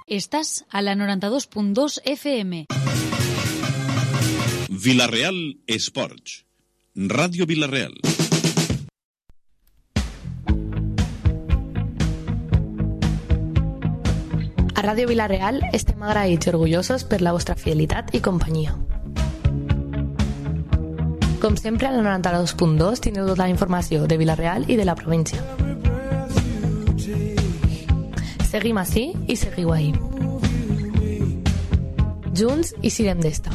Estás a la 92.2 FM. Vila-real Esports. Ràdio Vila-real. A Ràdio Vila-real estem agraïts i orgullosos per la vostra fidelitat i companyia. Com sempre, a la 92.2 tindreu tota la informació de Vila-real i de la província. Seguim ací i seguiu ahí. Junts i sirem d'esta.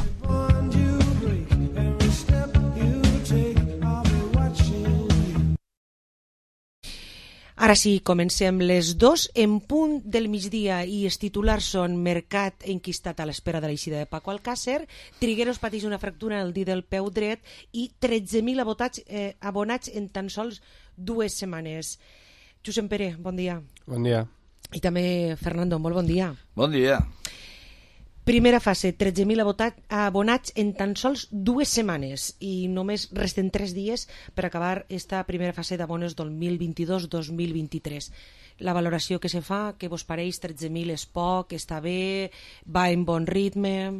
Ara sí, comencem les 2 en punt del migdia i els titulars són: Mercat enquistat a l'espera de l'eixida de Paco Alcácer, Trigueros pateix una fractura en el dit del peu dret i 13.000 abonats en tan sols 2 setmanes. Josep Pere, bon dia. Bon dia. I també Fernando, molt bon dia. Bon dia. Primera fase, 13.000 abonats en tan sols 2 setmanes i només resten 3 dies per acabar esta primera fase d'abones 2022-2023. La valoració que se fa, què vos pareix? 13.000 és poc, està bé, va en bon ritme?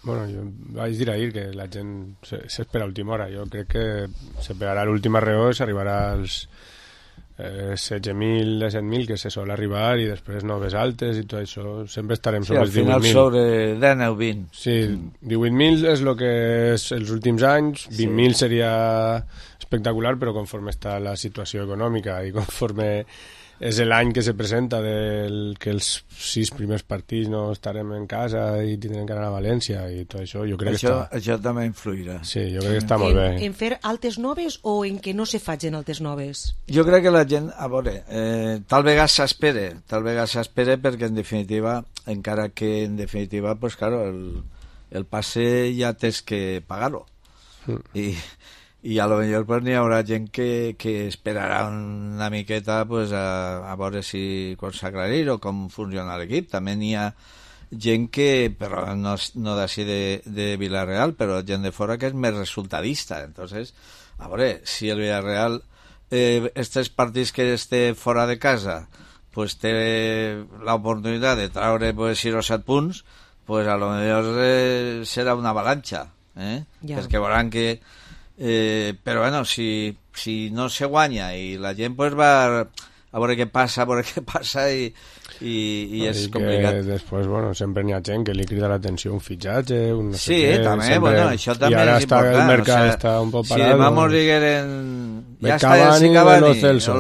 Bueno, jo vaig dir ahir que la gent s'espera a última hora. Jo crec que s'esperarà l'última reó i s'arribarà als 16.000, 17.000 que se sol arribar i després noves altes i tot això. Sempre estarem sobre els 18.000. Al final sobre 10 o 20. Sí, 18.000 és el que és els últims anys, 20.000 seria espectacular, però conforme està la situació econòmica i conforme és l'any que se presenta que els 6 primers partits no estarem en casa i tindrem que anar a València i tot això, jo crec que això també influirà. Sí, jo crec que està molt bé. En fer altes noves o en que no se facin altes noves? Jo crec que la gent, a veure, tal vegada s'espera perquè en definitiva, encara que en definitiva, pues claro, el passe ja tens que pagar-lo. I a lo millor pues, n'hi haurà gent que esperarà una miqueta pues, a veure si com s'aclarir o com funciona l'equip. També n'hi ha gent que, però no d'ací de Vila-real, però gent de fora que és més resultadista. Entonces, a veure, si el Vila-real estos partits que esté fora de casa pues, té l'oportunitat de traure pues, 6 o 7 punts, pues, a lo millor serà una avalanxa, perquè veuran que però bueno, si no se guanya i la gent pues va a veure què passa i és complicat. Després, bueno, sempre n'hi ha gent que li crida l'atenció un fitxatge, un no sé què. Sí, també, sempre... bueno, això també és important. El mercat està un poc parat. Si demà mos digueren ja està el Cavani o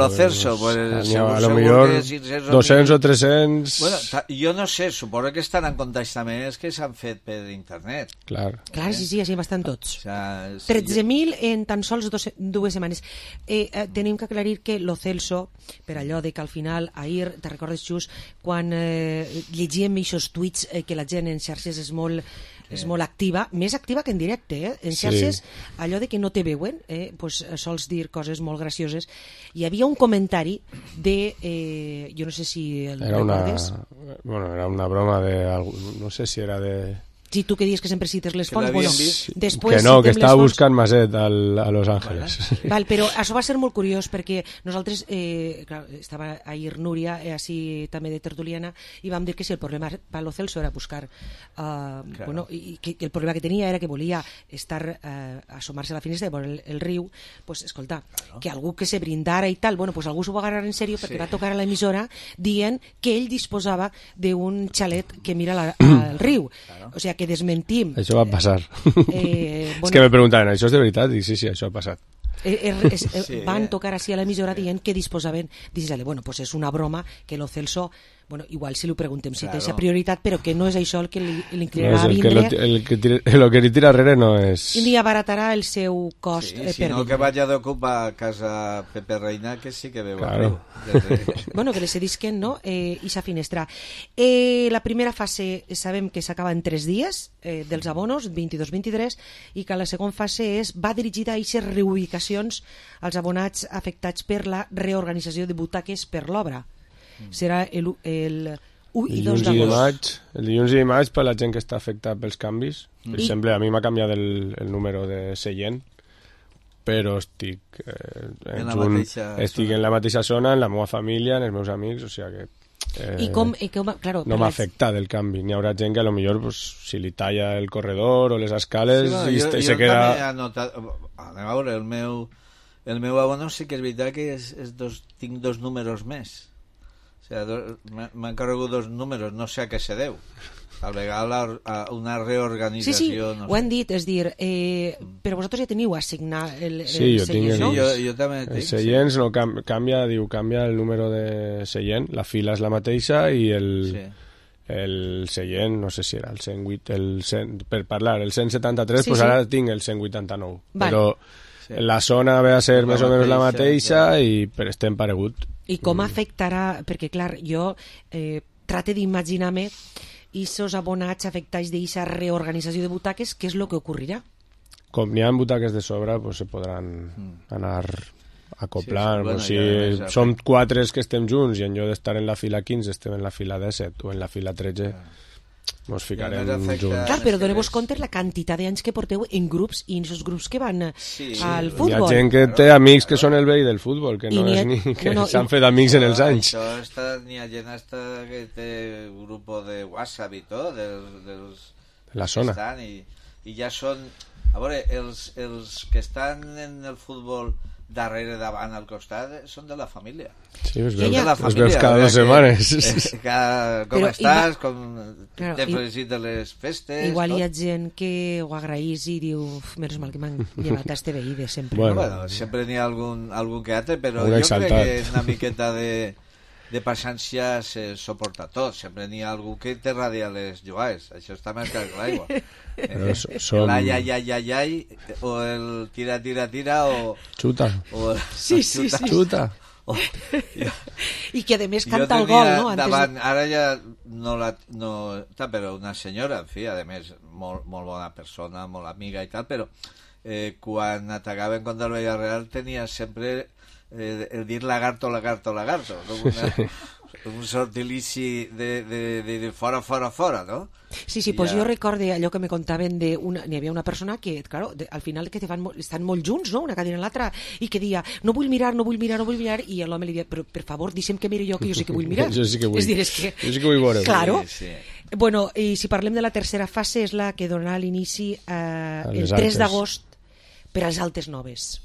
lo Celso, pues a lo millor 200 o 300... Bueno, jo no sé, suposo que estan en contacte també és que s'han fet per internet. Clar, sí, així bastant tots. 13.000 en tan sols 2 setmanes. Tenim que aclarir que lo Celso, per allò de que al final, ahir, te recordes, Xus, quan llegíem aquests tuits que la gent en xarxes és molt activa, més activa que en directe, en xarxes, allò de que no te veuen, pues, sols dir coses molt gracioses. Hi havia un comentari de, jo no sé si el recordes. Era una broma no sé si era de... Si tu que dius que sempre cites les fonts, bueno, després que no, que estava buscant Maset a Los Ángeles. Val, però això va ser molt curiós perquè nosaltres, clar, estava ahir Núria, així també de tertuliana, i vam dir que si el problema per lo Celso era buscar, bueno, i que el problema que tenia era que volia estar assomar-se a la finestra i veure el riu, pues escolta, que algú que se brindara i tal, bueno, pues algú s'ho va agarrar en sèrio perquè va tocar a l'emissora dient que ell disposava d'un xalet que mira al riu. O sigui, que desmentim. Això va passar. És que me preguntaven, això és de veritat? I sí, això ha passat. Van tocar així a l'emissora dient que disposaven, bueno, pues és una broma que lo Celso, bueno, igual si li preguntem si té aquesta prioritat, però que no és això el que li inclinarà a vindre. El que li tira darrere no és... I li abaratarà el seu cost. Si no, que vagi d'ocupar a casa Pepe Reina, que sí que veu. Bueno, que li cedisquen, no? I sa finestra. La primera fase sabem que s'acaba en 3 dies dels abonos, 22-23, i que la segona fase va dirigida a aquestes reubicacions als abonats afectats per la reorganització de butaques per l'obra. Serà el 1 i 2 d'agost. El dilluns i dimarts per la gent que està afectada pels canvis. Per exemple, a mi m'ha canviat el número de seient, però estic en la mateixa zona, en la meva família, en els meus amics, o sigui que claro, no m'ha afectat el canvi. N'hi haurà gent que potser pues, si li talla el corredor o les escales i se queda... A veure, el meu abono sí que és veritat que tinc 2 números més. O sigui, m'han carregut 2 números, no sé a què se deu. Tal vegada una reorganització... Sí, no ho han dit, és dir, però vosaltres ja teniu assignat el jo tinc no? Jo també tinc. Els seients no canvia el número de seient, la fila és la mateixa i el seient, no sé si era el 108, per parlar, el 173, pues ara tinc el 189. Però la zona ve a ser més o menys la mateixa i estem paregut. I com afectarà, perquè clar, jo trate d'imaginar-me i esos abonats afectats d'aquesta reorganització de butaques, què és el que ocorrirà? Com n'hi ha butaques de sobre, pues se podran anar acoplant. Som 4 que estem junts i en lloc d'estar en la fila 15 estem en la fila 17 o en la fila 13, ens ficarem junts. Clar, però doneu-vos compte la quantitat d'anys que porteu en grups i en aquests grups que van al futbol. Hi ha gent que té amics que són el veí del futbol, que no és ni que s'han fet amics en els anys. N'hi ha gent que té un grup de WhatsApp i tot, de la zona. I ja són... A veure, els que estan en el futbol darrere, davant, al costat, són de la família. Sí, els veus cada 2 setmanes. Com estàs, com te felicites les festes... Igual hi ha gent que ho agraís i diu, menys mal que m'han llevat a este veí de sempre. Bueno, sempre n'hi ha algun que altre, però jo crec que una miqueta de paciència se suporta tot. Sempre n'hi ha algú que te radia les jugades. Això està més clar que l'aigua. L'ai, o el tira o... Xuta. Sí. Xuta. I que a més canta el gol, no? Davant, ara ja no però una senyora, en fi, a més molt bona persona, molt amiga i tal, però quan atacaven contra el Villarreal tenia sempre el dir lagarto, no? Un sortilici de fora, no? Sí, pues jo recordo allò que me contaven n'hi havia una persona que, claro, al final que estan molt junts, no?, una cadira en l'altra, i que dia, no vull mirar, i l'home li dia, però per favor, deixa'm que miri jo, que jo sí que vull mirar. Jo sí que vull. És dir, jo sí que vull veure. Claro. Sí. Bueno, i si parlem de la tercera fase, és la que donarà l'inici el 3 d'agost per als Altes Noves.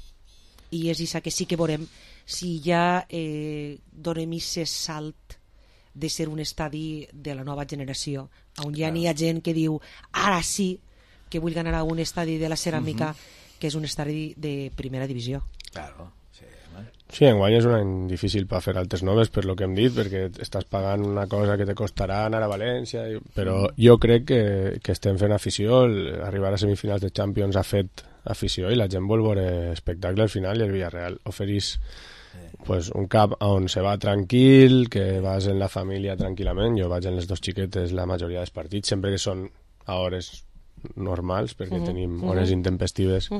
I és això que sí que veurem si ja donem aquest salt de ser un estadi de la nova generació, on ja n'hi ha gent que diu ara sí que vull anar a un estadi de la ceràmica que és un estadi de primera divisió. Claro, sí, enguany és un any difícil per fer Altes Noves, per lo que hem dit, perquè estàs pagant una cosa que te costarà anar a València, però jo crec que estem fent afició. Arribar a semifinals de Champions ha fet afició i la gent vol veure espectacle al final, i el Villarreal ofereix pues, un camp on se va tranquil, que vas en la família tranquil·lament. Jo vaig en les 2 xiquetes la majoria dels partits, sempre que són a hores normals, perquè tenim hores intempestives,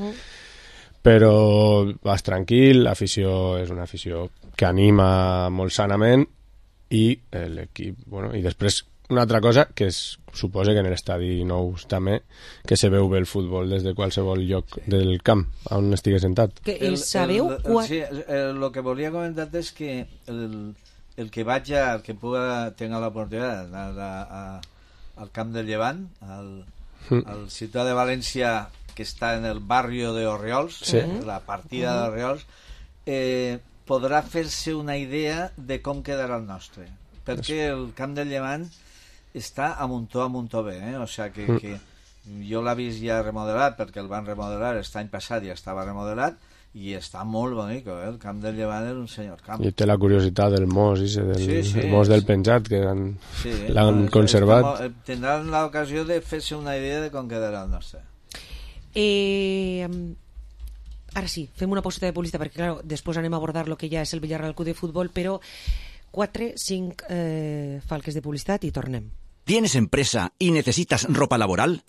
però vas tranquil, l'afició és una afició que anima molt sanament, i l'equip, bueno, i després una altra cosa que suposa que en l'estadi nou també, que se veu bé el futbol des de qualsevol lloc del camp on estigués sentat. Que sabeu sí, el que volia comentar és que el que tenga l'oportunitat d'anar al camp del Llevant, al ciutat de València, que està en el barrio de Orriols, la partida d'Orriols, podrà fer-se una idea de com quedarà el nostre, perquè el camp del Llevant està a muntó bé, o sigui que jo l'he vist ja remodelat, perquè el van remodelar l'any passat, ja estava remodelat, i està molt bonic, el camp del Llevant és un senyor camp. I té la curiositat del mos, el mos del penjat, que l'han conservat. Tindran l'ocasió de fer-se una idea de com quedarà el nostre. Ara sí, fem una pauseta de publicitat, perquè clar, després anem a abordar el que ja és el Villarreal Club de Futbol, però 4-5 falques de publicitat i tornem. ¿Tienes empresa y necesitas ropa laboral?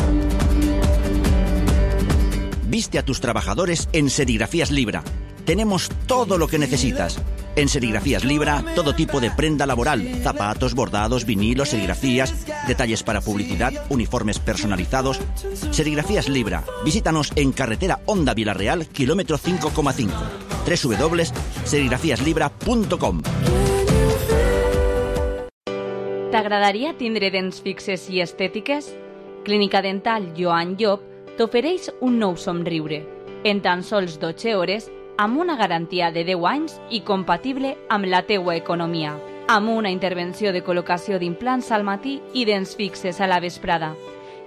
Viste a tus trabajadores en Serigrafías Libra. Tenemos todo lo que necesitas. En Serigrafías Libra, todo tipo de prenda laboral, zapatos, bordados, vinilos, serigrafías, detalles para publicidad, uniformes personalizados. Serigrafías Libra. Visítanos en carretera Honda Villarreal, kilómetro 5,5. www.serigrafiaslibra.com. T'agradaria tindre dents fixes i estètiques? Clínica Dental Joan Llop t'ofereix un nou somriure, en tan sols 12 hores, amb una garantia de 10 anys i compatible amb la teua economia, amb una intervenció de col·locació d'implants al matí i dents fixes a la vesprada.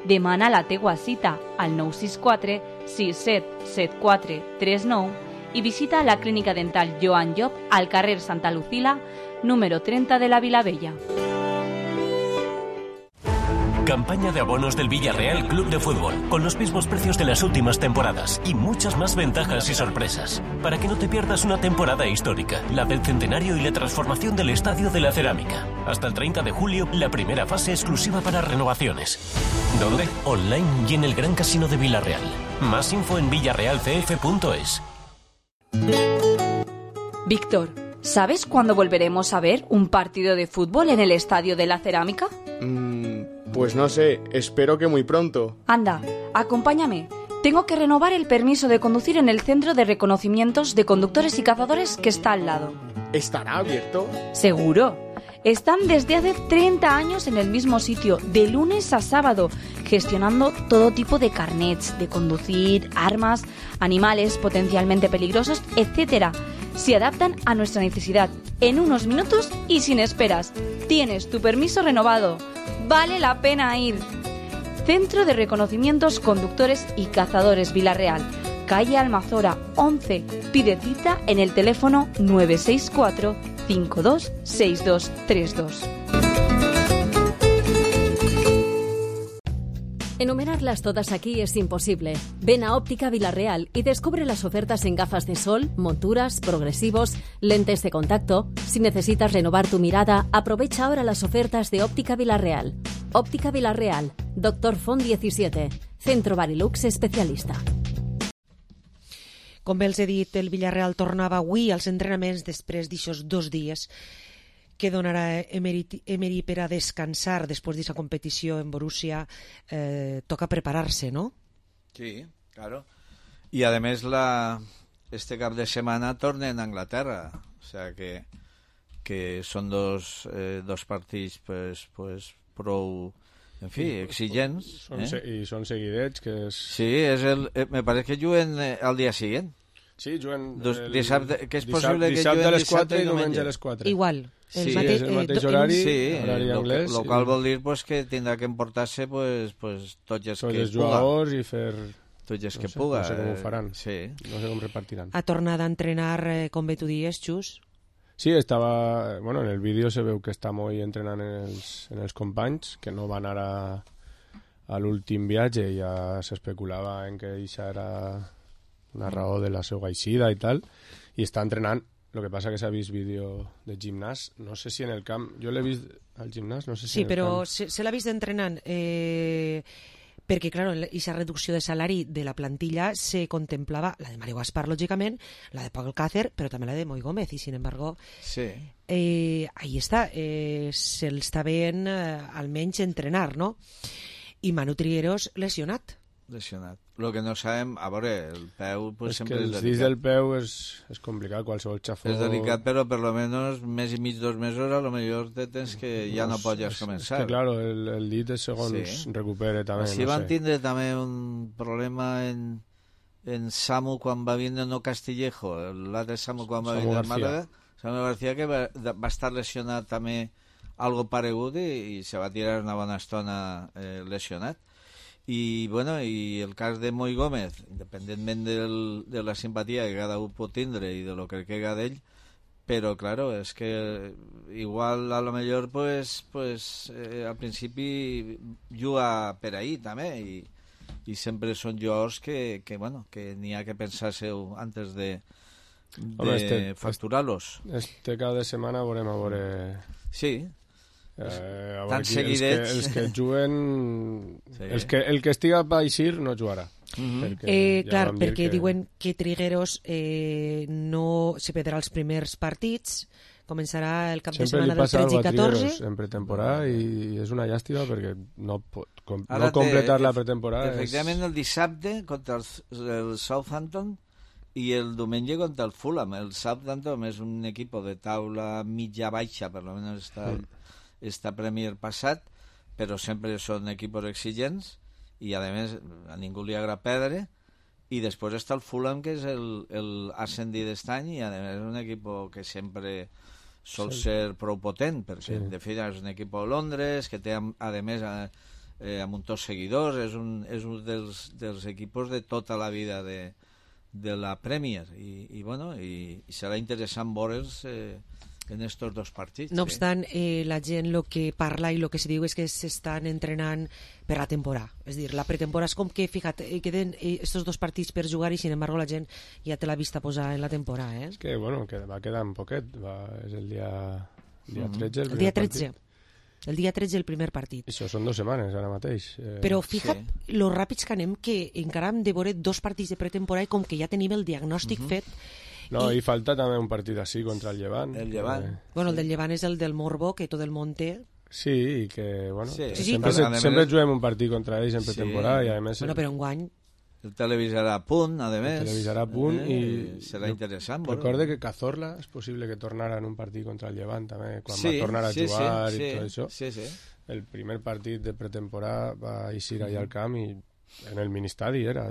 Demana la teua cita al 964 6774 39 i visita la Clínica Dental Joan Llop al carrer Santa Lucila, número 30 de la Vilavella. Campaña de abonos del Villarreal Club de Fútbol, con los mismos precios de las últimas temporadas y muchas más ventajas y sorpresas, para que no te pierdas una temporada histórica, la del centenario y la transformación del Estadio de la Cerámica. Hasta el 30 de julio, la primera fase exclusiva para renovaciones. ¿Dónde? Online y en el Gran Casino de Villarreal. Más info en villarrealcf.es. Víctor, ¿sabes cuándo volveremos a ver un partido de fútbol en el Estadio de la Cerámica? Pues no sé, espero que muy pronto. Anda, acompáñame. Tengo que renovar el permiso de conducir en el Centro de Reconocimientos de Conductores y Cazadores que está al lado. ¿Estará abierto? Seguro. Están desde hace 30 años en el mismo sitio, de lunes a sábado, gestionando todo tipo de carnets de conducir, armas, animales potencialmente peligrosos, etc. Se adaptan a nuestra necesidad en unos minutos y sin esperas. Tienes tu permiso renovado. Vale la pena ir. Centro de Reconocimientos Conductores y Cazadores Villarreal, calle Almazora 11. Pide cita en el teléfono 964 526232. Enumerarlas todas aquí es imposible. Ven a Óptica Villarreal y descubre las ofertas en gafas de sol, monturas, progresivos, lentes de contacto. Si necesitas renovar tu mirada, aprovecha ahora las ofertas de Óptica Villarreal. Óptica Villarreal, Dr. Font 17, Centro Barilux especialista. Com bé els he dit, el Villarreal tornava avui als entrenaments després d'aixòs 2 dies que donarà Emery per a descansar després d'aquesta competició en Borussia. Toca prepararse, ¿no? Sí, claro. Y además este cap de semana tornen a Inglaterra, o sea que son dos partits pues prou, en fi, exigents. I són seguidets, que és... Sí, me parece que juguen al dia següent. Sí, juguen... Dissabte, que és possible que dissabte juguen a les 4 i diumenge a les 4. Igual. Sí, és el mateix horari, horari anglès. Lo qual vol dir pues, que tindrà que emportar-se pues, tots els que jugadors i fer... Tots els que puga. No sé com ho faran, sí. No sé com repartiran. Ha tornat a entrenar, com bé tu dies, Xus? Sí, estava... Bueno, en el vídeo se veu que està molt entrenant en els companys, que no van ara a l'últim viatge i ja s'especulava en que això era una raó de la seva eixida i tal, i està entrenant. Lo que passa que s'ha vist vídeo de gimnàs, no sé si en el camp, jo l'he vist al gimnàs, no sé si sí, en el camp... Sí, però se l'ha vist entrenant perquè, clar, aquesta reducció de salari de la plantilla se contemplava, la de Mario Gaspar, lògicament, la de Pau Alcácer, però també la de Moi Gómez, i sin embargo, sí. Ahí està, se'l està veient almenys entrenar, no? I Manu Trigueros lesionat. Lo que no sabem, a veure, el peu pues, sempre és delicat. Els dits del peu és complicat, qualsevol xafó... És delicat, però per lo menos mes i mig, 2 mesos, a lo millor te tens que ja no pots començar. És que, claro, el dit és segons recupere també, no sé. Van tindre també un problema en Samu quan va venir, no Castillejo, l'altre Samu quan va venir al Màlaga, Samu García, que va estar lesionat també algo paregut i se va tirar una bona estona lesionat. I, bueno, i el cas de Moi Gómez, independentment de la simpatia que cada un pot tindre i de lo que queda d'ell, però, claro, és que igual a lo millor pues al principi juga per ahí també i sempre són jugadors que n'hi ha que pensar-se-ho antes de facturar-los. Este cap de setmana veurem a veure... Sí, tan seguidets els que juguen sí. El que estiga a eixir no jugarà clar, perquè diuen que Trigueros no se perdrà els primers partits, començarà el cap de setmana del 13 i 14 en pretemporada i és una llàstima perquè no completar la pretemporada efectivament el dissabte contra el Southampton i el diumenge contra el Fulham. El Southampton és un equip de taula mitja-baixa, per almenys està esta Premier passat, però sempre són equipos exigents i a més a ningú li agrada perdre. I després està el Fulham, que és l'ascendit d'estany, i a més és un equip que sempre sol ser prou potent, perquè en definitiva és un equip de Londres, que té a més amb un tots seguidors, és un dels equipos de tota la vida de la Premier, i serà interessant veure'ls en estos dos partits. No obstant, la gent el que parla i el que se diu és que s'estan entrenant per la temporada. És dir, la pretemporada és com que, fíjate, queden estos dos partits per jugar i, sin embargo, la gent ja té la vista posada en la temporada. És que, bueno, que va quedar un poquet. És el dia 13, el dia 13. El dia 13 el primer partit. Això són 2 setmanes ara mateix. Però fija't lo ràpids que anem, que encara hem de veure 2 partits de pretemporada i com que ja tenim el diagnòstic fet. No, i falta també un partit així contra el Llevant. El Llevant. Bueno, el del Llevant és el del Morbo, que tot el món té. Sí, i que, bueno, sempre juguem un partit contra ells en pretemporada i a més... Bueno, però enguany... El televisarà a punt, a més. El televisarà a punt i... Serà interessant. Recorde que Cazorla és possible que tornara en un partit contra el Llevant també, quan va tornar a jugar i tot això. Sí. El primer partit de pretemporada va eixir allà al camp i en el ministadi era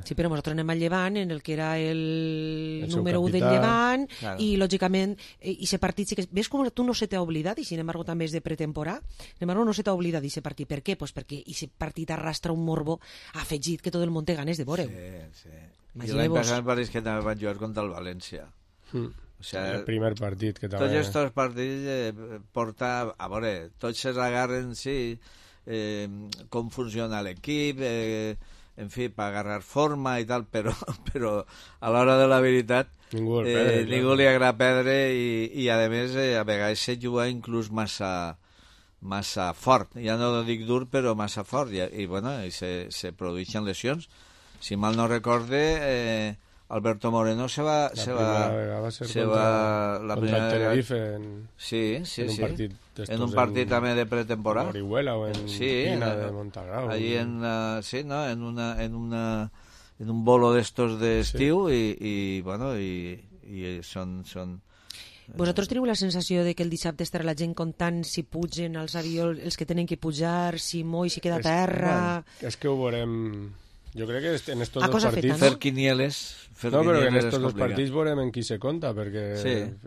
Sí, però nosaltres anem al Llevant, en el que era el número 1 del Llevant, i lògicament ese partit sí que... Ves com tu no se t'ha oblidat, i sin embargo també és de pretemporada, sin embargo no se t'ha oblidat ese partit. Per què? Pues perquè ese partit arrastra un morbo afegit que tot el món té ganes de veure. Sí. I l'any passat pareix que també van jugar contra el València. O sea, el primer partit que també... Tots aquests partits porta... A veure, tots s'agarren, sí, com funciona l'equip, en fi, per agarrar forma i tal, però a l'hora de la veritat ningú li agrada perdre i a més a vegades se juga inclús massa fort, ja no dic dur però massa fort, i se produeixen lesions. Si mal no recorde, Alberto Moreno se va la primera Tenerife en un partit també de pretemporada, Orihuela o en Pina de Montagrau, allí en un bolo d'estos d'estiu, i són... Vosaltres teniu la sensació de que el dissabte estarà la gent comptant si pugen els avions, els que tenen que pujar, si Moi si queda a terra... És que ho veurem... Jo crec que en estos dos partits... Fer quinieles... No, però en estos dos partits veurem en qui se compta, perquè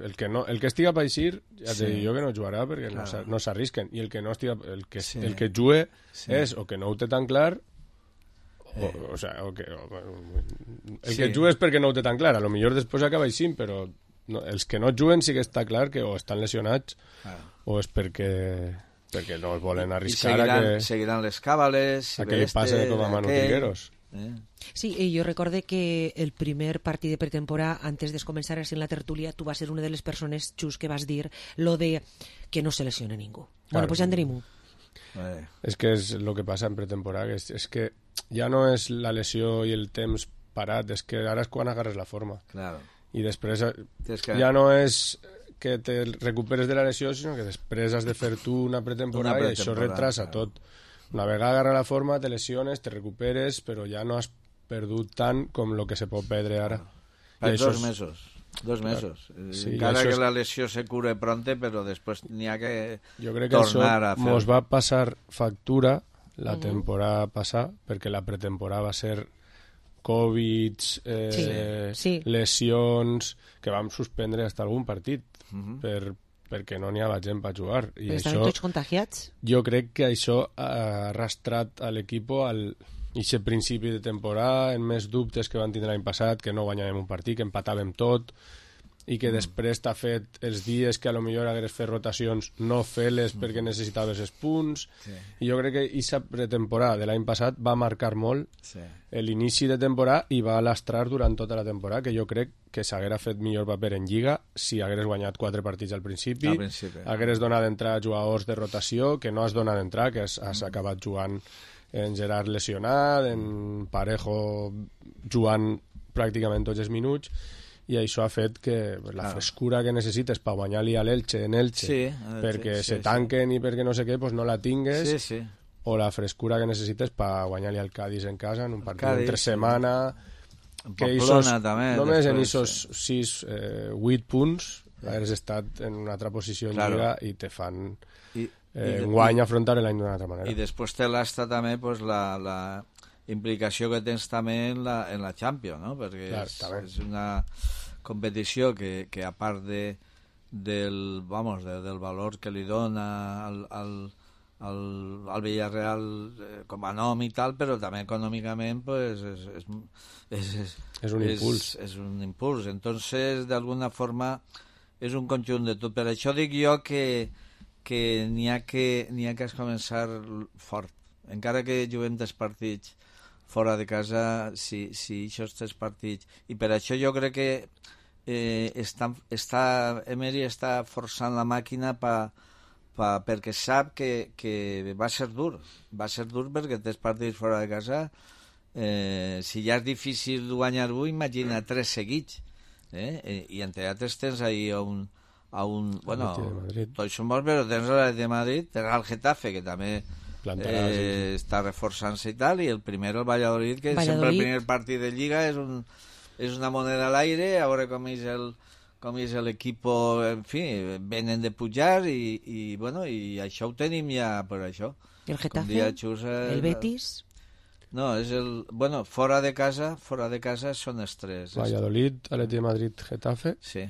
el que estiga per eixir, ja te dic jo que no jugarà, perquè no s'arrisquen, i el que no estiga... El que jugue és o que no ho té tan clar, el que jugue és perquè no ho té tan clar, a lo millor després acaba eixint, però els que no juguen sí que està clar que o estan lesionats o és perquè no es volen arriscar seguiran les càbales a que li passe com a Manu Trigueros. Sí, jo recorde que el primer partit de pretemporada, antes de començar en la tertúlia, tu vas ser una de les persones, Xus, que vas dir lo de que no se lesione ningú. Bueno, pues ja en tenim un. És que és el que passa en pretemporada, és que ja no és la lesió i el temps parat, és que ara és quan agarres la forma. I després ja no és que te recuperes de la lesió, sinó que després has de fer tu una pretemporada i això retrasa tot. Una vegada agarra la forma, te lesiones, te recuperes, però ja no has perdut tant com el que se pot perdre ara. Per 2 mesos. 2 mesos. Encara que la lesió se cure pronte, però després n'hi ha que tornar a fer. Jo crec que això mos va passar factura la temporada passada, perquè la pretemporada va ser Covid, lesions, que vam suspendre hasta algun partit perquè no n'hi havia gent per jugar. I estaven tots contagiats? Jo crec que això ha arrastrat a l'equip al principi de temporada, en més dubtes que van tindre l'any passat, que no guanyàvem un partit, que empatàvem tot, i que després t'ha fet els dies que a lo millor hagués fet rotacions no fer-les perquè necessitaves els punts. I jo crec que aquesta pretemporada de l'any passat va marcar molt l'inici de temporada i va lastrar durant tota la temporada, que jo crec que s'haguera fet millor paper en Lliga si hagués guanyat 4 partits al principi, hagués donat d'entrar jugadors de rotació, que no has donat d'entrar, que has acabat jugant en Gerard lesionat, en Parejo jugant pràcticament tots els minuts, i això ha fet que la frescura que necessites per guanyar-li a l'Elche en Elche, perquè se tanquen i perquè no sé què, pues no la tingues, o la frescura que necessites per guanyar-li al Cádiz en casa en un partit entre setmana, que només en aquests 8 punts hagués estat en una altra posició en Lliga i te fan enguany afrontar l'any d'una altra manera. I després té l'asta també pues, la implicació que tens també en la Champions, no? Perquè clar, és una competició que a part del valor que li dona al Villarreal com a nom i tal, però també econòmicament pues, és un impuls. És un impuls. Entonces, d'alguna forma, és un conjunt de tot. Per això dic jo que n'hi ha que començar fort. Encara que juguem 3 partits fora de casa, si aquests 3 partits... I per això jo crec que Emery està forçant la màquina perquè sap que va ser dur. Va ser dur perquè 3 partits fora de casa, si ja és difícil guanyar avui, imagina 3 seguits. I entre altres tens ahir tots són bons, però tens l'Atlètic de Madrid, tens el Getafe, que també està reforçant-se i tal, i el primer, el Valladolid, que sempre el primer partit de Lliga és una moneda a l'aire, a veure com és l'equip, en fi, venen de pujar i això ho tenim ja per això. I el Getafe, el Betis... No, és fora de casa són els 3. Valladolid, Atlètic de Madrid, Getafe. Sí.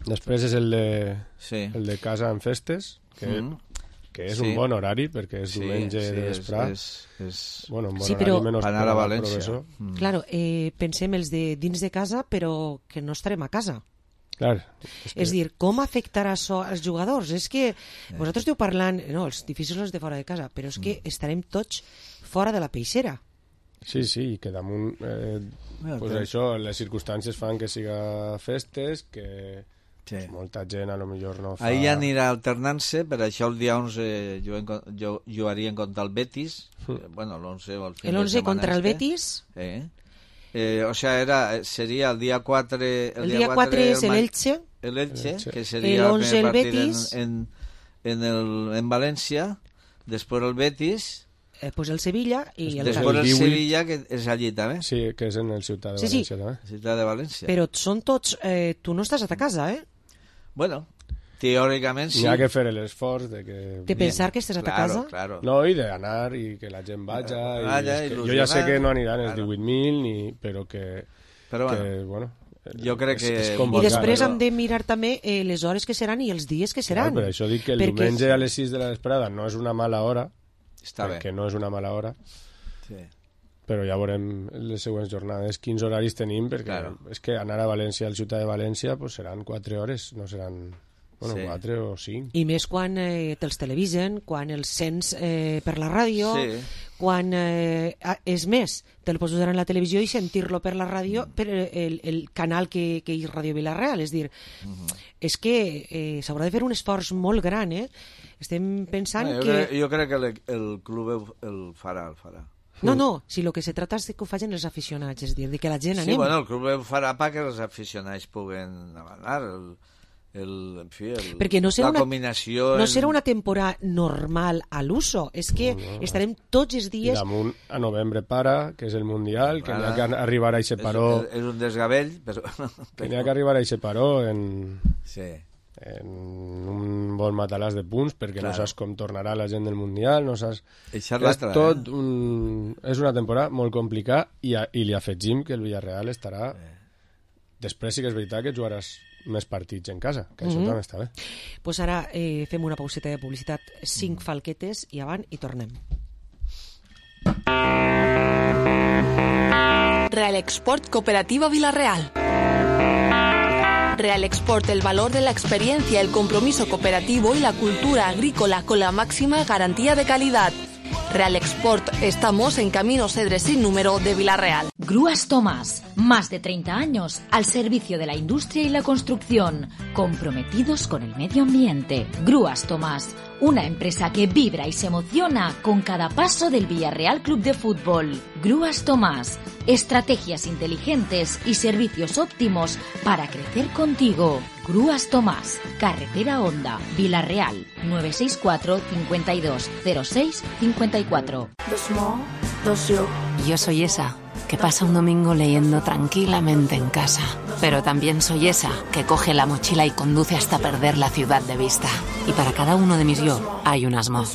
Després és el de casa en festes, que és un bon horari, perquè és diumenge de vesprà. Un bon horari menys per anar a València. Claro, pensem els de dins de casa, però que no estarem a casa. Clar, és dir, com afectarà això als jugadors? És que vosaltres esteu parlant, no, els difícils els de fora de casa, però és que estarem tots fora de la peixera. Sí, i que damunt pues això, les circumstàncies fan que siga festes, que molta gent a lo millor no fa... Ahir anirà alternant-se, per això el dia 11 jugarien contra el Betis, l'11 o el fin de setmana. El 11 contra el Betis? O sea, sería el día 4... El día 4 es el Elche. El Elche, que sería el 11 el Betis. En Valencia. Después el Betis. Pues el Sevilla y el Después el Sevilla, que és allí també. Sí, que és en el Ciutat de València també. Ciutat de València. Però són tots... tu no estàs a ta casa, Bueno, teòricament sí. Hi ha que fer l'esforç de pensar que estàs a ta casa. Claro. No, i d'anar i que la gent vagi. Jo ja sé que no aniran els 18.000, però que bueno... Jo crec que... I després hem de mirar també les hores que seran i els dies que seran. Per això dic que el diumenge a les 6 de la vesprada no és una mala hora. Està bé. Que no és una mala hora. Sí. Però ja veurem les següents jornades quins horaris tenim, perquè és que anar a València, al Ciutat de València, pues seran 4 hores, no seran 4 o 5. I més quan te'ls televisen, quan els sents per la ràdio, quan és més, te'l pots usar en la televisió i sentir-lo per la ràdio, per el canal que és Ràdio Vila-real. És dir, és que s'haurà de fer un esforç molt gran, Estem pensant que... Jo crec que el club el farà. No, si el que se trata és que ho facin els aficionats, és dir, que la gent anem. Sí, el club ho farà perquè els aficionats puguen anar, perquè no serà la combinació... No serà una temporada normal a l'uso, és que estarem tots els dies... I damunt a novembre que és el Mundial, que n'hi ha que arribar a aquest paró... És un desgavell, però... Que n'hi ha que arribar a aquest paró en un bon matalàs de punts, perquè no saps com tornarà la gent del Mundial, no saps... És una temporada molt complicada i li afegim que el Villarreal estarà... Després sí que és veritat que jugaràs més partits en casa, que això també està bé. Pues ara fem una pauseta de publicitat, 5 falquetes i avant i tornem. Real Export Cooperativa Vila-real. Real Export, el valor de la experiencia, el compromiso cooperativo y la cultura agrícola con la máxima garantía de calidad. Real Export, estamos en Camino Cedres sin número de Vila-real. Grúas Tomás, más de 30 años al servicio de la industria y la construcción, comprometidos con el medio ambiente. Grúas Tomás, una empresa que vibra y se emociona con cada paso del Villarreal Club de Fútbol. Grúas Tomás, estrategias inteligentes y servicios óptimos para crecer contigo. Grúas Tomás, Carretera Honda, Vila-real, 964 52 06 54. Yo soy esa que pasa un domingo leyendo tranquilamente en casa. Pero también soy esa que coge la mochila y conduce hasta perder la ciudad de vista. Y para cada uno de mis yo hay un Asmo.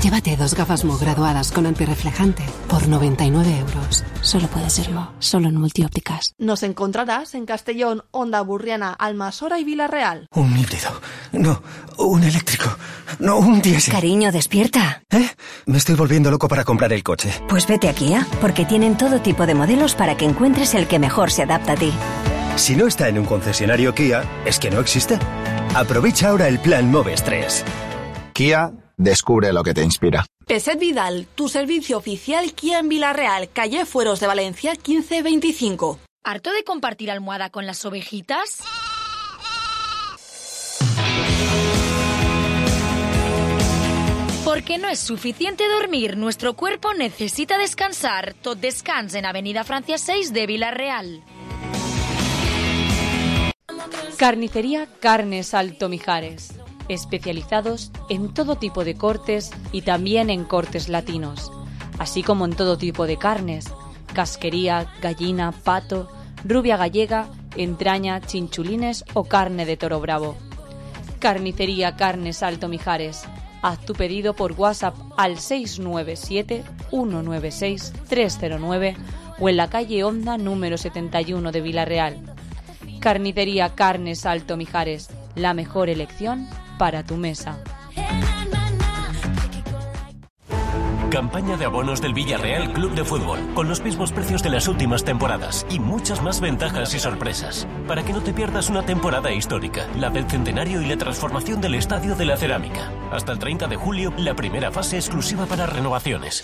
Llévate 2 gafas Mo graduadas con antirreflejante por 99 euros. Solo puede serlo, solo en Multiópticas. Nos encontrarás en Castellón, Onda Burriana, Almasora y Villarreal. Un híbrido. No, un eléctrico. No, un diésel. Cariño, despierta. Me estoy volviendo loco para comprar el coche. Pues vete a Kia, porque tienen todo tipo de modelos para que encuentres el que mejor se adapta a ti. Si no está en un concesionario Kia, es que no existe. Aprovecha ahora el plan Moves 3. Kia, descubre lo que te inspira. Peset Vidal, tu servicio oficial Kia en Villarreal, calle Fueros de Valencia 1525. ¿Harto de compartir almohada con las ovejitas? Porque no es suficiente dormir, nuestro cuerpo necesita descansar. Tot descans en Avenida Francia 6 de Villarreal. Carnicería Carnes Alto Mijares. Especializados en todo tipo de cortes y también en cortes latinos, así como en todo tipo de carnes, casquería, gallina, pato, rubia gallega, entraña, chinchulines o carne de toro bravo. Carnicería Carnes Alto Mijares. Haz tu pedido por WhatsApp al 697-196-309 o en la calle Honda número 71 de Villarreal. Carnicería Carnes Alto Mijares, la mejor elección para tu mesa. Campaña de abonos del Villarreal Club de Fútbol, con los mismos precios de las últimas temporadas y muchas más ventajas y sorpresas, para que no te pierdas una temporada histórica, la del centenario y la transformación del Estadio de la Cerámica. Hasta el 30 de julio, la primera fase exclusiva para renovaciones.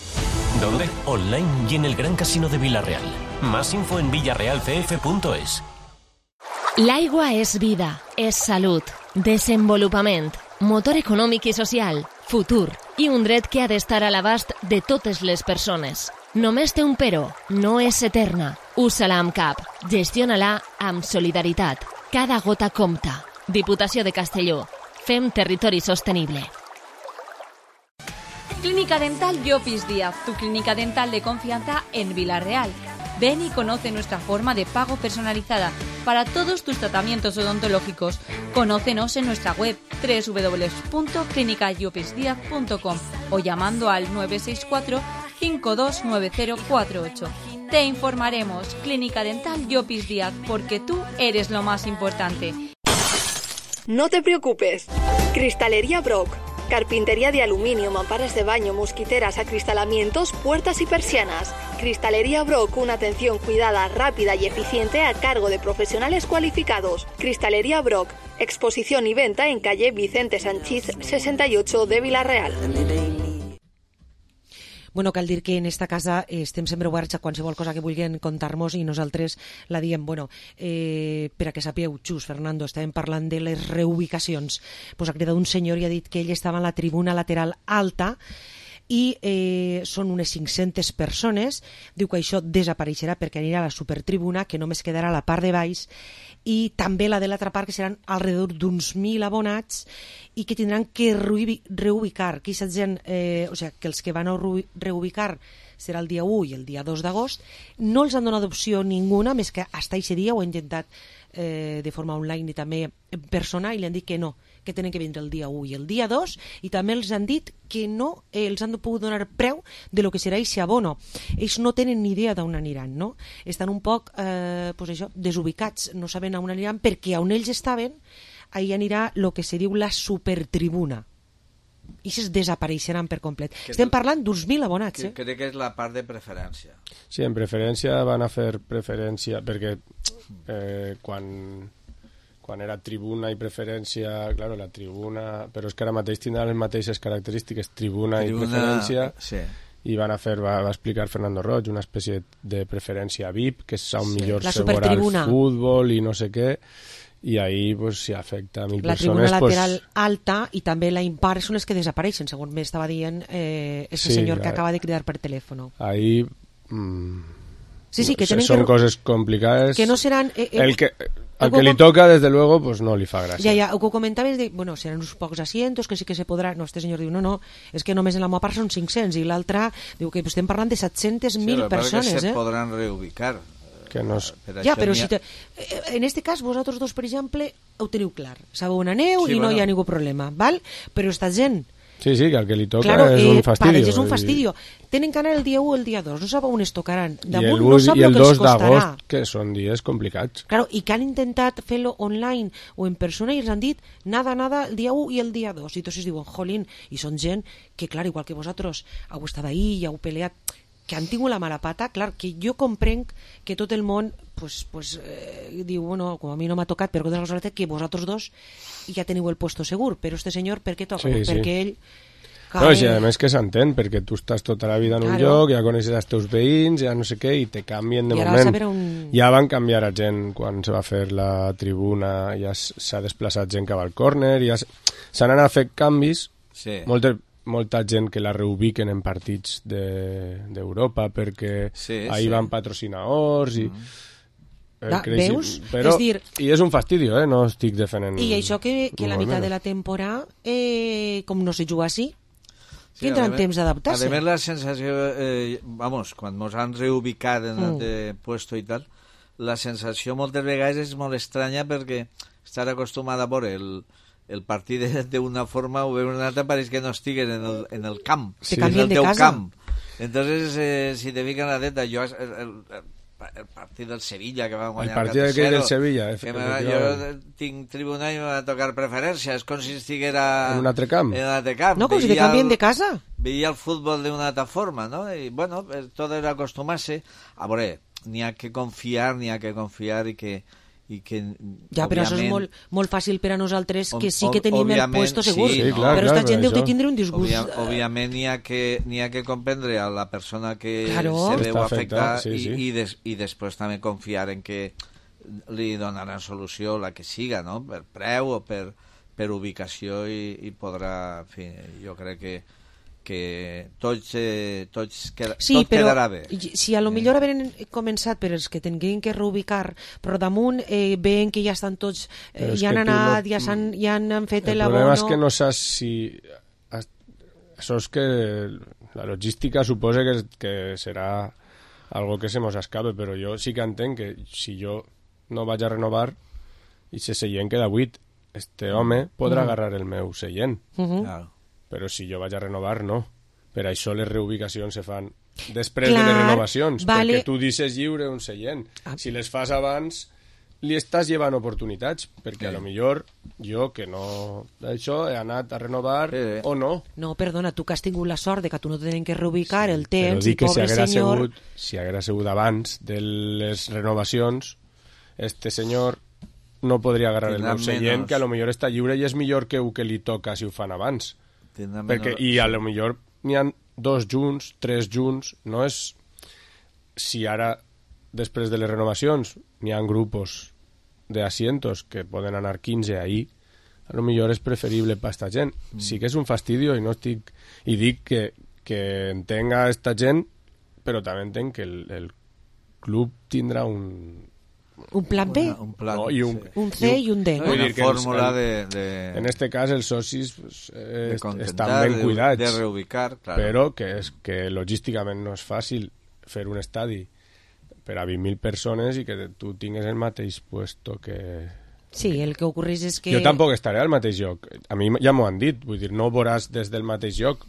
¿Dónde? Online y en el Gran Casino de Villarreal. Más info en villarrealcf.es. L'aigua és vida, és salut, desenvolupament, motor econòmic i social, futur i un dret que ha d'estar a l'abast de totes les persones. Només té un però, no és eterna. Usa-la amb cap, gestiona-la amb solidaritat. Cada gota compta. Diputació de Castelló. Fem territori sostenible. Clínica Dental Llopis Díaz, tu clínica dental de confianza en Villarreal. Ven y conoce nuestra forma de pago personalizada para todos tus tratamientos odontológicos. Conócenos en nuestra web www.clinicallopisdiaz.com o llamando al 964 529048. Te informaremos. Clínica Dental Llopis Díaz, porque tú eres lo más importante. No te preocupes. Cristalería Brock. Carpintería de aluminio, mamparas de baño, mosquiteras, acristalamientos, puertas y persianas. Cristalería Brock, una atención cuidada, rápida y eficiente a cargo de profesionales cualificados. Cristalería Brock, exposición y venta en calle Vicente Sanchís 68 de Villarreal. Bueno, cal dir que en esta casa estem sempre oberts a qualsevol cosa que vulguin contar-nos i nosaltres la diem. Bueno, per a que sapigueu, Xus, Fernando, estàvem parlant de les reubicacions. Pues ha cridat un senyor i ha dit que ell estava en la tribuna lateral alta i són unes 500 persones. Diu que això desapareixerà perquè anirà a la supertribuna, que només quedarà a la part de baix, i també la de l'altra part, que seran alrededor d'uns 1.000 abonats i que tindran que reubicar. Que aquesta gent, o sigui, que els que van a reubicar serà el dia 1 i el dia 2 d'agost, no els han donat opció ninguna, més que fins aquest dia ho he intentat de forma online i també en persona, i li han dit que no, que tenen que vindre el dia 1 i el dia 2, i també els han dit que no els han pogut donar preu de lo que serà aquest abono. Ells no tenen ni idea d'on aniran, no? Estan un poc pues això, desubicats, no saben on aniran, perquè on ells estaven ahí anirà el que se diu la supertribuna, i es desapareixeran per complet. Estem parlant d'uns 1.000 abonats. Crec que és la part de preferència. Sí, en preferència van a fer preferència, perquè quan era tribuna i preferència, claro, la tribuna, però és que ara mateix tindran les mateixes característiques, tribuna i preferència, sí. I van a fer, va explicar Fernando Roig, una espècie de preferència VIP, que és on millor se veurà el futbol i no sé què, i ahí pues, si afecta a 1.000 la persones... La tribuna lateral alta i també la impar són les que desapareixen, segons m'estava dient ese senyor que acaba de cridar per telèfon. Ahí... sí, que tenen són coses complicades. Que no seran... al que li toca, desde luego, pues no li fa gràcia. Ja, el que comentaves de, bueno, seran uns pocs asientos, que sí que se podrà... No, este senyor diu, no, és que només en la meva part són 500, i l'altre diu que estem parlant de 700.000 persones, que se podran reubicar. Que no és... Ja, però si en este cas vosaltres dos, per exemple, ho teniu clar. Sabeu on aneu i no hi ha ningú problema, val? Però esta gent... Sí, que el que li toca és un fastidio. És un fastidio. Tenen que anar el dia 1 o el dia 2, no sabeu on es tocaran. Damunt no sap el 2 d'agost, que són dies complicats. Claro, i que han intentat fer-lo online o en persona i els han dit nada, el dia 1 i el dia 2. I tots diuen, jolín, i són gent que, clar, igual que vosaltres heu estat ahí i heu peleat, que han tingut la mala pata, clar, que jo comprenc que tot el món diu, bueno, com a mi no m'ha tocat, però que vosaltres dos ja teniu el puesto segur, però este senyor per què toca? Perquè ell... No, i a més que s'entén, perquè tu estàs tota la vida en un lloc, ja coneixes els teus veïns, ja no sé què, i te canvien de moment. Ja van canviar a gent quan se va fer la tribuna, ja s'ha desplaçat gent cap al córner, ja s'han anat a fer canvis, molta gent que la reubiquen en partits d'Europa perquè ahir van patrocinadors i... Veus? Però, i és un fastidio, no estic defendent... I això que la meitat de la temporada, com no se juga així, tindran temps d'adaptar-se. A més, la sensació, quan ens han reubicat en el puesto i tal, la sensació moltes vegades és molt estranya perquè estar acostumada a veure el partit d'una forma o d'una altra pareix que no estiguin en el camp, en el teu camp. Entonces, si te fican la teta, jo... el partit del Sevilla que va guanyar el partit del Sevilla jo tinc tribuna i me va tocar preferència, és com si estiguera en un altre camp, no, com si te canvien de casa, veia el futbol d'una altra forma, no? I bueno, tot era acostumar-se a veure, n'hi ha que confiar i que ja, però això és molt fàcil per a nosaltres, que sí que tenim el puesto segur, però aquesta gent deu de tindre un disgust. Òbviament n'hi ha que comprendre a la persona que se veu afectar i després també confiar en que li donaran solució la que siga, no? Per preu o per ubicació i podrà, en fi, jo crec que tots quedarà bé. Si a lo millor haveren començat per els que tinguin que reubicar, però damunt veuen que ja estan tots, ja han anat, ja han fet el problema és que no saps si això és que la logística suposa que serà algo que se mos escape, però jo sí que entenc que si jo no vaig a renovar i se seient queda buit, este home podrà agarrar el meu seient. Però si jo vaig a renovar, no. Per això les reubicacions se fan després de les renovacions, perquè tu deixes lliure un seient. Si les fas abans, li estàs llevant oportunitats, perquè a lo millor jo, que no... Això he anat a renovar o no. No, perdona, tu que has tingut la sort de que tu no tenen que reubicar el temps, i pobre senyor... Si hagués sigut abans de les renovacions, este senyor no podria agarrar el meu seient, que a lo millor està lliure i és millor que el que li toca si ho fan abans. I a lo millor n'hi ha 2 junts, 3 junts, no és... Si ara, després de les renovacions, n'hi ha grupos de asientos que poden anar 15 ahí, a lo millor és preferible per esta gent. Sí que és un fastidio i no estic... I dic que entenga esta gent, però també entenc que el club tindrà un plan B, un C i un D, no? Una fórmula en este cas els socis estan ben cuidats, de reubicar, claro. Però que logísticament no és fàcil fer un estadi per a 20.000 persones i que tu tingues el mateix puesto que... Sí, el que ocorreix és que... Jo tampoc estaré al mateix lloc, a mi ja m'ho han dit, vull dir, no ho veuràs des del mateix lloc,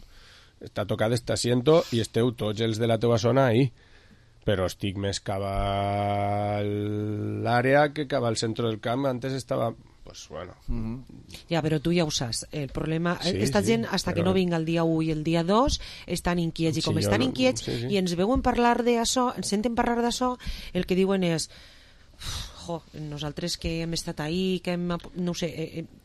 està tocat este asiento i esteu tots els de la teva zona ahí, però estic més cap a l'àrea que cap al centre del camp. Antes estava, pues bueno... Ja, però tu ja ho saps. El problema... Esta gent, hasta que no vinga el dia 1 i el dia 2, estan inquiets. I com estan inquiets i ens veuen parlar d'això, ens senten parlar d'això, el que diuen és... nosaltres que hem estat ahí, que hem, no sé,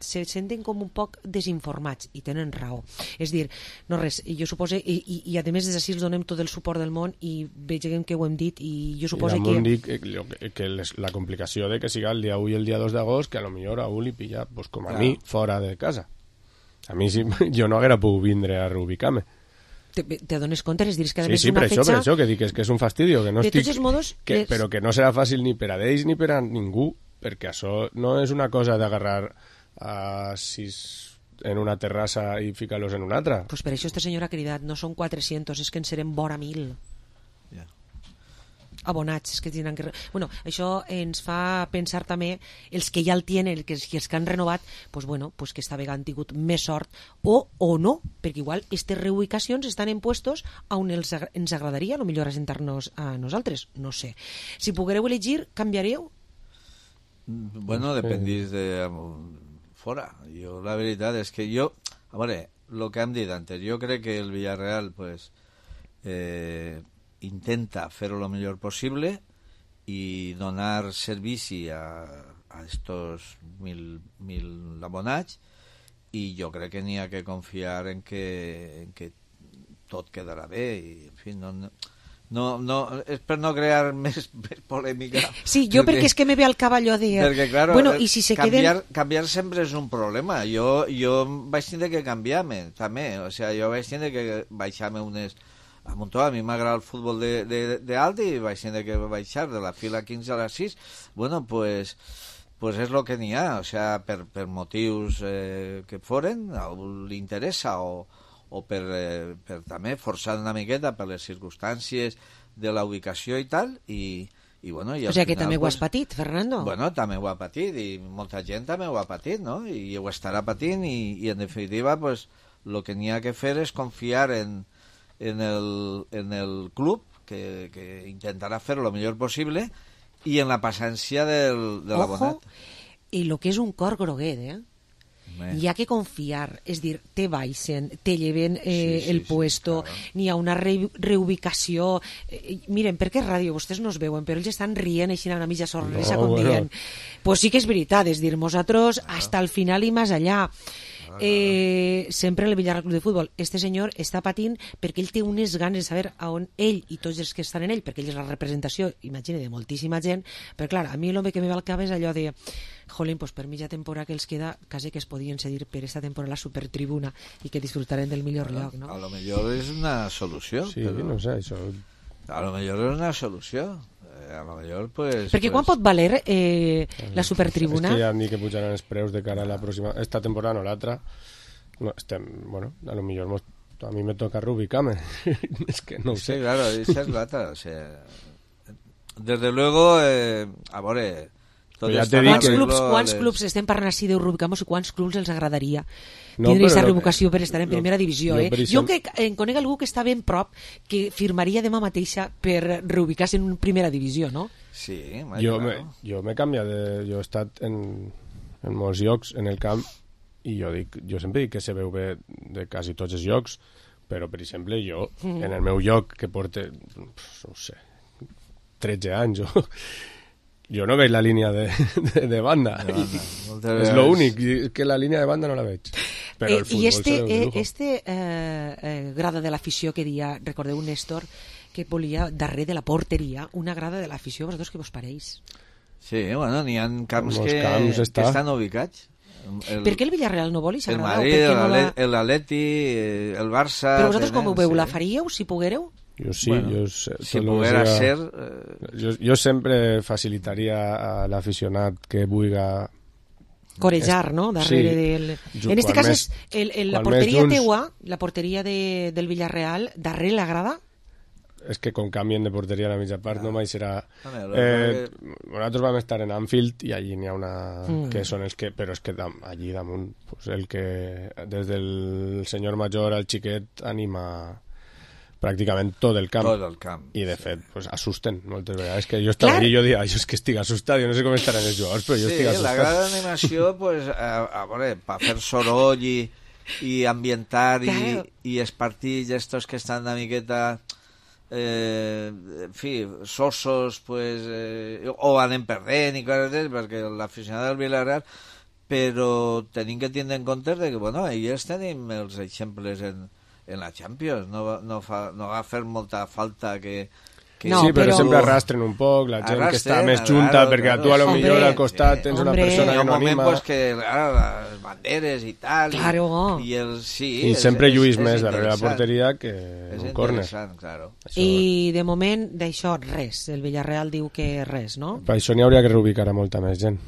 se senten com un poc desinformats i tenen raó. És dir, no res, jo suposo, i a més des d'ací els donem tot el suport del món i vegem que ho hem dit i jo suposo que... dic que la complicació de que siga el dia 1 i el dia 2 d'agost, que a lo millor a un li pilla, pues, com a mi, fora de casa. A mi jo no haguera pogut vindre a reubicar-me. Te dones compte, és dir, que a més una fetxa... Sí, per això, que dic que és un fastidio, que no de estic... tots els modos... Però que no serà fàcil ni per a ells ni per a ningú, perquè això no és una cosa d'agarrar a 6 en una terrassa i ficar-los en una altra. Pues per això este senyor ha cridat, no són 400, és que en serem vora 1.000. Abonats, és que tindran que... Bueno, això ens fa pensar també els que ja el tenen, els que han renovat, pues bueno, pues que esta vegada han tingut més sort o no, perquè igual aquestes reubicacions estan en puestos on ens agradaria, a lo millor assentar-nos a nosaltres, no sé. Si poguereu elegir, canviareu? Bueno, dependís de fora. Jo, la veritat és que jo, a veure, el que hem dit antes, jo crec que el Villarreal, pues, intenta fer-ho lo millor possible i donar servici a estos 1.000 abonats, i jo crec que n'hi ha que confiar en que tot quedarà bé i, en fi, no, és per no crear més polèmica. Sí, jo perquè és que me ve al cap allò de... Perquè, claro, bueno, i si se canviar sempre és un problema. Jo vaig tindre que canviar-me, també. O sea, jo vaig tindre que baixar-me unes... A Montó, a mi m'agrada el futbol d'alt i vaig tindre que baixar de la fila 15 a la 6. Bueno, pues és el que n'hi ha, o sea, per motius que foren, a algú li interessa o per també forçar una miqueta per les circumstàncies de la ubicació i tal, i bueno... I o sigui que també ho has patit, Fernando. Bueno, també ho ha patit, i molta gent també ho ha patit, no? I ho estarà patint, i en definitiva, pues, el que n'hi ha que fer és confiar en el club, que intentarà fer lo millor possible, i en la paciència de l'abonat. I el que és un cor groguet, hi ha que confiar, és dir, te baixen, te lleven el puesto, claro. N'hi ha una reubicació. Miren, perquè és ràdio, vostès no es veuen, però ells estan rient així una mitja sorpresa, com dient. Pues sí que és veritat, és dir, nosaltres hasta el final i més allà. Sempre el Villarreal Club de Futbol, este senyor està patint perquè ell té unes ganes de saber a on ell i tots els que estan en ell, perquè ell és la representació, imagina, de moltíssima gent, però clar, a mi l'home que me va al cap és allò de jolín, pues per mitja temporada que els queda, quasi que es podien cedir per esta temporada la supertribuna i que disfrutarem del millor lloc, no? A lo millor és una solució. Sí, però... no sé, això... A lo millor és una solució. A lo millor, pues... Perquè quan pot valer la supertribuna? És que ja han dit que pujaran els preus de cara a la pròxima... Esta temporada, no l'altra. No, bueno, a lo millor a mi me toca reubicarme. Es que no ho sé. Sí, claro, esa es l'altra. O sea, desde luego, a veure... Quants clubs estem parlant així de reubicar-nos i quants clubs els agradaria tindre aquesta reubicació per estar en primera divisió, Jo que en conec algú que està ben prop que firmaria demà mateixa per reubicar-se en primera divisió, no? Sí, jo m'he canviat jo he estat en molts llocs en el camp i jo sempre dic que se veu bé de quasi tots els llocs, però per exemple jo en el meu lloc que porta no sé 13 anys jo no veig la línia de banda. És l'únic, que la línia de banda no la veig. Però el futbol este grada de l'afició que dia, recordeu, Néstor, que volia darrere de la porteria una grada de l'afició, vosaltres què vos pareix? Sí, bueno, n'hi ha camps que estan ubicats. Per què el Villarreal no vol i s'agrada? El Madrid, l'Atleti, el Barça... Però vosaltres com ho veu? La faríeu, si poguéreu? Jo sí, bueno, si poguera ser... Jo sempre facilitaria a l'aficionat que vulga... corejar, no? Darrere del... En este cas és la porteria teua, la porteria del Villarreal, darrere la grada? És que com canvien de porteria a la mitja part no mai serà... Nosaltres vam estar en Anfield i allí n'hi ha una... que són els que... Però és que allí damunt pues, el que des del senyor major al xiquet anima... pràcticament tot el camp. I de fet, pues, assusten moltes vegades. Que jo estava allí i jo dic, jo és que estic assustat, jo no sé com estaran els jugadors, però jo estic assustat. Sí, la gran animació, pues, a veure, per fer soroll i ambientar i els partits estos que estan una miqueta en fi, sosos, pues, o anem perdent i coses d'ells, perquè l'aficionat del Villarreal, però tenim que tindre en compte que, bueno, ells tenim els exemples en la Champions, no va fer molta falta que Sí, però sempre arrastren un poc la gent que està més junta, perquè tu a lo millor al costat tens una persona que no anima. Hi ha un moment que, les banderes i tal, i sempre lluís més darrere la porteria que un córner. I de moment d'això res, el Villarreal diu que res, no? Per això n'hi hauria que reubicar a molta més gent.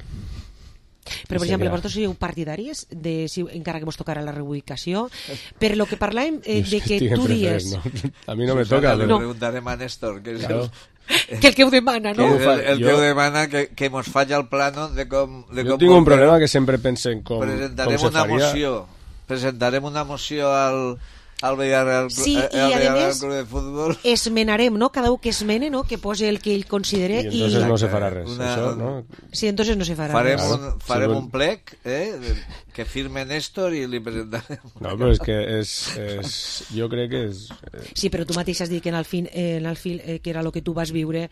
Però, per exemple, vosaltres sou partidaris de, si encara que vos tocarà la reubicació, per lo que parlem de que tu dies... A mi no me toca. Le preguntarem a Néstor, que és que el que ho demana, no? El que ho demana que mos faci el plano de com... Jo tinc un problema que sempre pense en com se faria. Presentarem una moció al Villarreal Club de Futbol. Esmenarem, no? Cada un que esmene, no? Que pose el que ell considere i entonces no se farà res, això, no? Sí, entonces no se farà res. Farem un plec, que firme Néstor i li presentarem. No, però és que jo crec que és... Sí, però tu mateix has dit que en el fil, que era el que tu vas viure,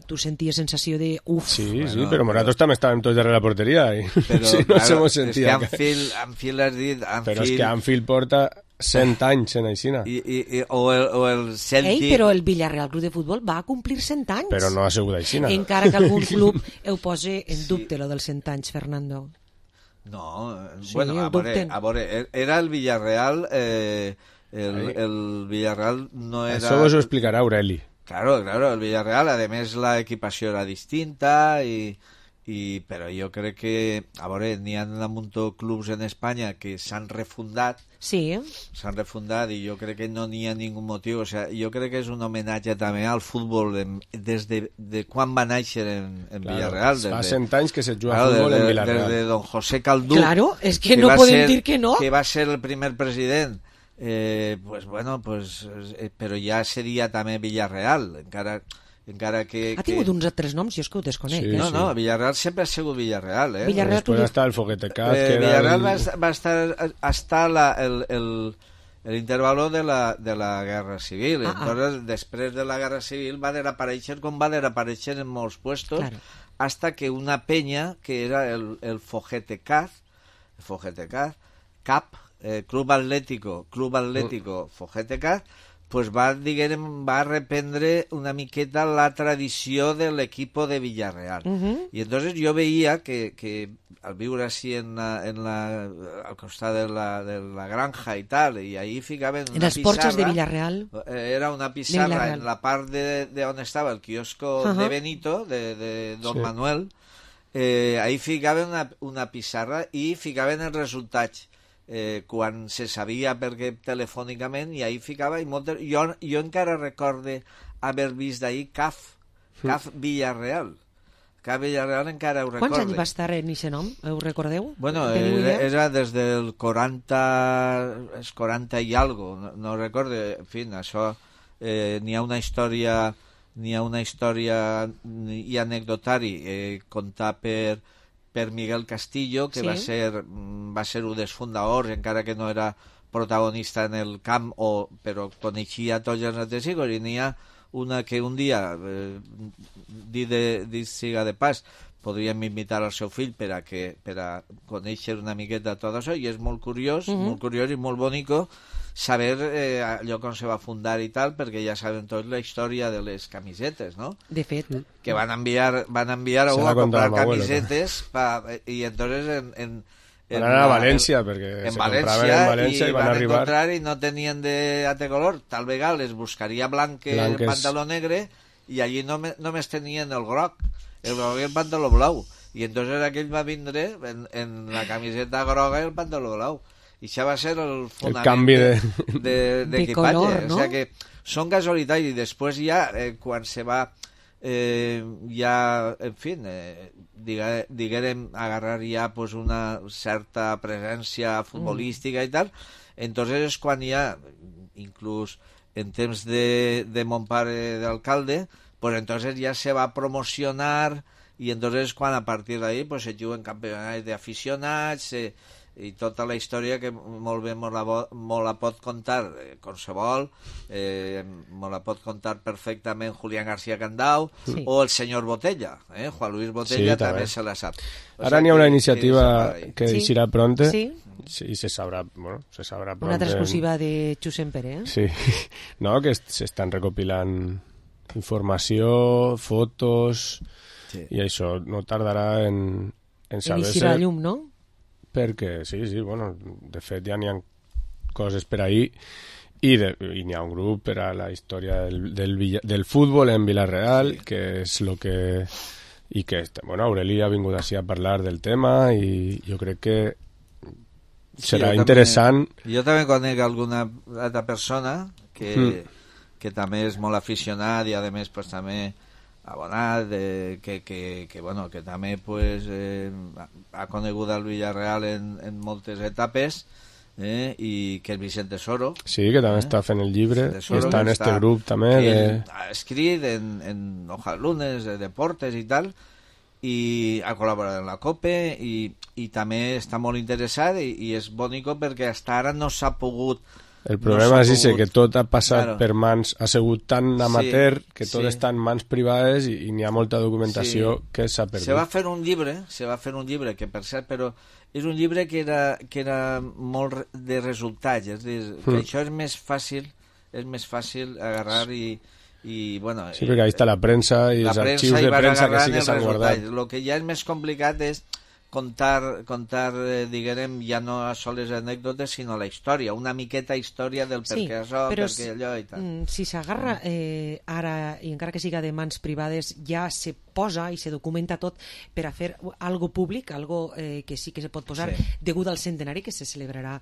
tu senties sensació de uf. Sí, però nosaltres també estàvem tots darrere la porteria i no se mos sentia. És que Anfield has dit... Però és que Anfield porta 100 anys en Aixina. O el Celtic... però el Villarreal Club de Futbol va complir 100 anys. Però no ha sigut Aixina. Encara que algun club ho posi en dubte, lo dels 100 anys, Fernando. No, bueno, a veure, era el Villarreal... el Villarreal no era... Això vos ho explicarà Aureli. Claro, el Villarreal, a més la equipació era distinta però jo crec que, a veure, n'hi ha un munt de clubs en Espanya que s'han refundat. Sí. S'han refundat i jo crec que no n'hi ha ningú motiu. O sigui, jo crec que és un homenatge també al futbol des de quan va néixer en Villarreal. Fa 100 anys que se juga futbol en Villarreal. Des de don José Caldú. Claro, és que no podem dir que no. Que va ser el primer president. Però ja seria també Villarreal, encara que... Ha tingut uns altres noms, jo és que ho desconec. Sí, no, Villarreal sempre ha sigut Villarreal. Després va estar el Foguete Cat. Villarreal va estar l'intervalo de la Guerra Civil. Entonces, després de la Guerra Civil va desaparèixer com va desaparèixer en molts puestos, hasta que una penya, que era el Foguete Cat, Club Atlético Foguete Cat, pues va reprendre una miqueta la tradició de l'equip de Villarreal. I entonces jo veia que al viure així al costat de la granja i tal, i ahí ficaven una pissarra... En els porxos de Villarreal. Era una pissarra en la part de on estava el quiosco de Benito, de Don Manuel. Ahí ficaven una pissarra i ficaven els resultats. Quan se sabia perquè telefònicament, i ahí ficava jo encara recorde haver vist ahir CAF Villarreal encara ho recorde. Quants anys va estar en aquest nom? Ho recordeu? Bueno, era des del 40 i algo, no recorde. En fi, això n'hi ha una història i anecdotari contar per Miguel Castillo, que va ser un dels fundadors, encara que no era protagonista en el camp, però coneixia tots els altres hijos, i n'hi ha una que un dia, dit siga de pas, podríem invitar al seu fill per a conèixer una miqueta tot això, i és molt curiós i molt bonico saber allò com se va fundar i tal, perquè ja sabem tots la història de les camisetes, no? De fet. Que van enviar a comprar camisetes i entonces van anar a València, perquè se compraven en València i van arribar... encontrar i no tenien de color. Tal vegada les buscaria blanques, el pantaló negre, i allí només tenien el groc i el pantaló blau. I entonces aquell va vindre en la camiseta groga i el pantaló blau. I això va ser el fonament d'equipatge. No? O sigui que són casualitats, i després ja, quan se va en fi, diguem, agarrar ja pues, una certa presència futbolística i tal, entonces és quan ja, inclús en temps de mon pare d'alcalde, pues entonces ja se va promocionar, i entonces quan a partir d'ahí pues, se juguen campionats d'aficionats, i tota la història que molt bé molt la pot contar qualsevol, molt la pot contar perfectament Julián García Candau o el senyor Botella, Juan Luis Botella també se la sap. Ara n'hi ha una iniciativa que eixirà pronte i se sabrà pronte. Una altra exclusiva de Xusen Pere, Sí, no, que s'estan recopilant informació, fotos, i això no tardarà en saber-se... En la llum, no? Perquè, sí, bueno, de fet ja n'hi ha coses per ahir i n'hi ha un grup per a la història del futbol en Vila-real, que és el que... I que, bueno, Aureli ha vingut així a parlar del tema i jo crec que serà interessant. Jo també conec alguna altra persona que també és molt aficionat i a més pues, també abonat, que també pues, ha conegut el Villarreal en moltes etapes, i que és Vicente Soro. Sí, que també està fent el llibre, i està en este grup també. Ha escrit en Hojas Lunes, de deportes i tal, i ha col·laborat en la COPE i també està molt interessat i és bonico perquè fins ara no s'ha pogut... El problema és que tot ha passat per mans, ha sigut tan amateur que tot està en mans privades i n'hi ha molta documentació que s'ha perdut. Se va fer un llibre, que per cert, però és un llibre que era molt de resultats, és a dir, que això és més fàcil agarrar i bueno... Sí, perquè ahí està la premsa i els arxius de premsa que sí que s'han guardat. El que ja és més complicat és contar diguem, ja no soles anècdotes, sinó la història, una miqueta història del per què això, per què allò i tal. Si s'agarra ara, i encara que siga de mans privades, ja se posa i se documenta tot per a fer algo públic, algo que sí que se pot posar degut al centenari que se celebrarà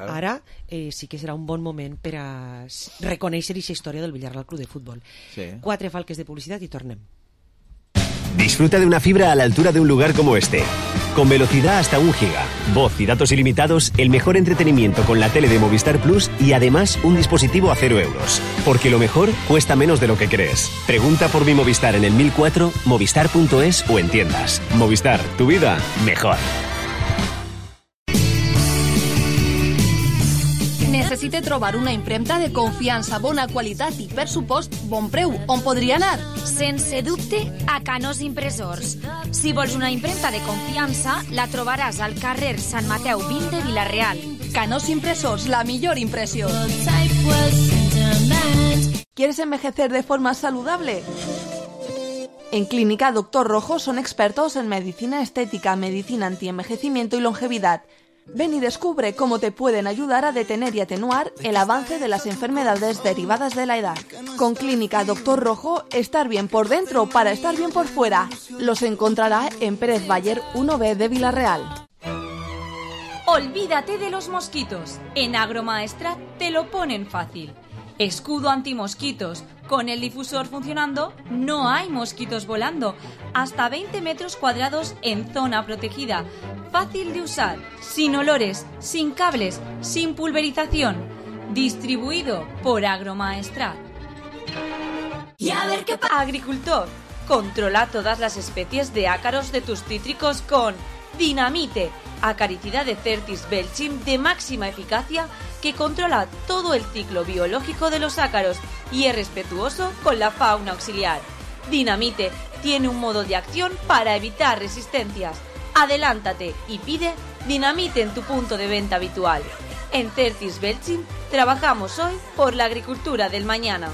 ara, sí que serà un bon moment per a reconèixer aquesta història del Villarreal Club de Futbol. 4 falques de publicitat i tornem. Disfruta de una fibra a la altura de un lugar como este. Con velocidad hasta 1 giga, voz y datos ilimitados, el mejor entretenimiento con la tele de Movistar Plus y además un dispositivo a 0 euros. Porque lo mejor cuesta menos de lo que crees. Pregunta por mi Movistar en el 1004, movistar.es o en tiendas. Movistar, tu vida mejor. Necessite trobar una impremta de confiança, bona qualitat i, per supost, bon preu. On podria anar? Sense dubte, a Canós Impressors. Si vols una impremta de confiança, la trobaràs al carrer Sant Mateu 20 de Vila-real. Canós Impressors, la millor impressió. ¿Quieres envejecer de forma saludable? En Clínica Dr. Rojo son expertos en medicina estética, medicina antienvejecimiento y longevidad. Ven y descubre cómo te pueden ayudar a detener y atenuar el avance de las enfermedades derivadas de la edad. Con Clínica Dr. Rojo, estar bien por dentro para estar bien por fuera. Los encontrará en Pérez Bayer 1B de Vila-real. Olvídate de los mosquitos. En Agromaestrat te lo ponen fácil. Escudo antimosquitos. Con el difusor funcionando, no hay mosquitos volando. Hasta 20 metros cuadrados en zona protegida. Fácil de usar, sin olores, sin cables, sin pulverización. Distribuido por Agromaestrat. Y a ver qué pasa. Agricultor, controla todas las especies de ácaros de tus cítricos con Dinamite, acaricida de Certis belchim de máxima eficacia que controla todo el ciclo biológico de los ácaros y es respetuoso con la fauna auxiliar. Dinamite tiene un modo de acción para evitar resistencias. Adelántate y pide Dinamite en tu punto de venta habitual. En Certis belchim trabajamos hoy por la agricultura del mañana.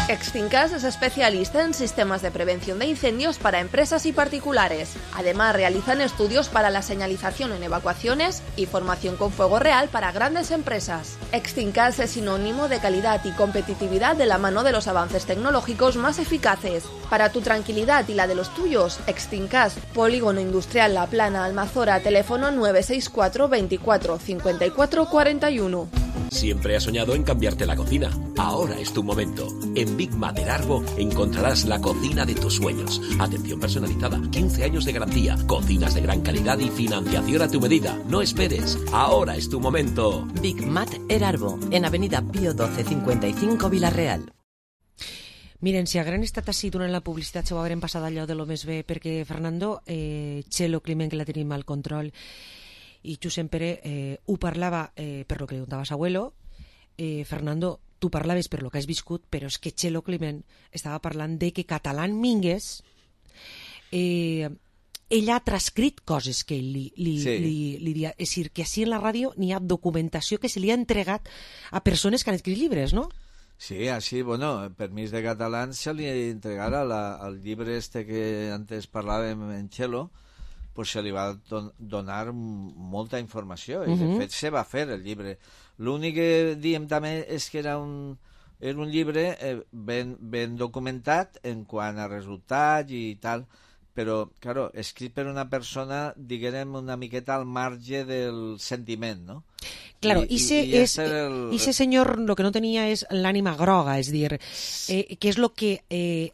Extincas es especialista en sistemas de prevención de incendios para empresas y particulares. Además, realizan estudios para la señalización en evacuaciones y formación con fuego real para grandes empresas. Extincas es sinónimo de calidad y competitividad de la mano de los avances tecnológicos más eficaces. Para tu tranquilidad y la de los tuyos, Extincas, Polígono Industrial La Plana, Almazora, teléfono 964 24 54 41. Siempre has soñado en cambiarte la cocina. Ahora es tu momento. En Big Mater Arbo encontrarás la cocina de tus sueños. Atención personalizada, 15 años de garantía, cocinas de gran calidad y financiación a tu medida. No esperes. Ahora es tu momento. Big Mater Arbo, en Avenida Pío 12 55 Vila-real. Miren, si hagueren estat així durant la publicitat s'ho hagueren passat allò de lo més bé, perquè Fernando, Txelo Climent, que la tenim al control, i Josep Pere ho parlava per lo que contaves, abuelo. Fernando, tu parlaves per lo que has viscut, però és que Txelo Climent estava parlant de que Catalán Mínguez ell ha transcrit coses que ell li dia. És a dir, que així en la ràdio n'hi ha documentació que se li ha entregat a persones que han escrit llibres, no? Sí, així, bueno, permís de catalans se li entregara el llibre este que antes parlàvem en Txelo, pues se li va donar molta informació, i de fet se va fer el llibre. L'únic que diem també és que era un llibre ben documentat en quant a resultats i tal, però, claro, escrit per una persona, diguem, una miqueta al marge del sentiment, no? Claro, ese señor lo que no tenía es l'ànima groga, és dir, que és lo que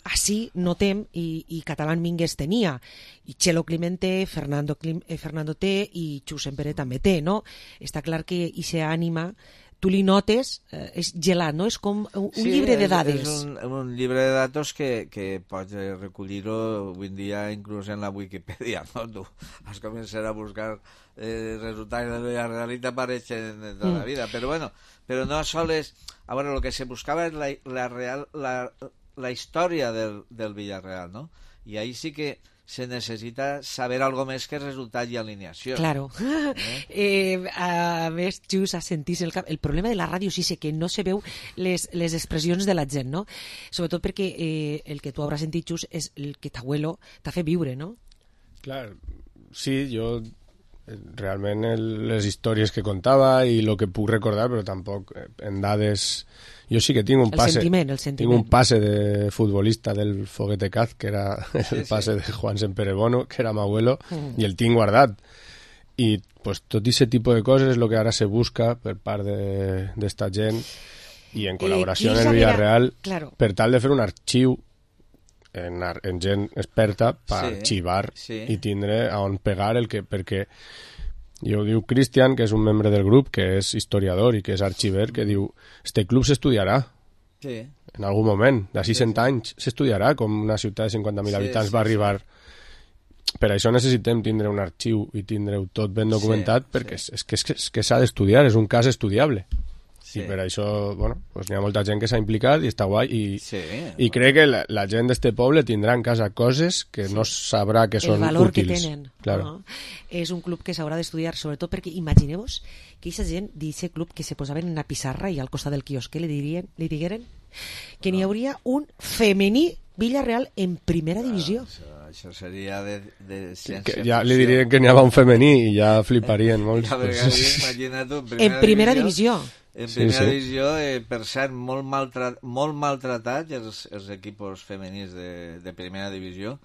así notem i Catalán Mingues tenia, i Txelo Climent té, Fernando té i Xus Empere també té, no? Està clar que ese ànima tu li notes, és gelat, no? És com un llibre de dades. Sí, és un llibre de datos que pots recollir-ho avui en dia inclús en la Wikipedia, no? Tu has començat a buscar resultats de la real i t'apareixen tota la vida, però bueno, però no sols... A veure, el que se buscava és la història del Villarreal, no? I ahí sí que se necessita saber algo més que resultat i alineació. Claro. A més, Xus, a sentir el problema de la ràdio sí sé que no se veu les expressions de la gent, no? Sobretot perquè el que tu hauràs sentit, Xus, és el que t'abuelo t'ha fet viure, no? Clar, sí, jo realment les històries que contava i el que puc recordar, però tampoc en dades... Jo sí que tinc un passe, tinc un passe de futbolista del Foguete Caz, que era el passe de Juan Semperebono, que era mi abuelo, i el tinc guardat. I pues, tot aquest tipus de coses és el que ara se busca per part d'esta gent i en col·laboració amb el Villarreal per tal de fer un arxiu en gent experta per arxivar i tindre on pegar el que... perquè i ho diu Cristian, que és un membre del grup, que és historiador i que és arxiver, que diu, este club s'estudiarà en algun moment, d'ací 100 anys s'estudiarà com una ciutat de 50.000 habitants va arribar. Per això necessitem tindre un arxiu i tindre-ho tot ben documentat, perquè és que s'ha d'estudiar, és un cas estudiable. I per això, bueno, pues n'hi ha molta gent que s'ha implicat i està guai i crec que la gent d'este poble tindrà en casa coses que no sabrà que són útils. El valor que tenen. Claro. No? És un club que s'haurà d'estudiar, sobretot perquè imagineu-vos que aquesta gent d'aquest club que se posaven en una pissarra i al costat del quiosque li digueren que n'hi hauria un femení Villarreal en primera divisió. Això seria de ciència. Ja li dirien que n'hi havia un femení i ja fliparien molts. Imagina't tu, en primera divisió. En primera divisió, per cert, molt maltratats els equipos femenins de primera divisió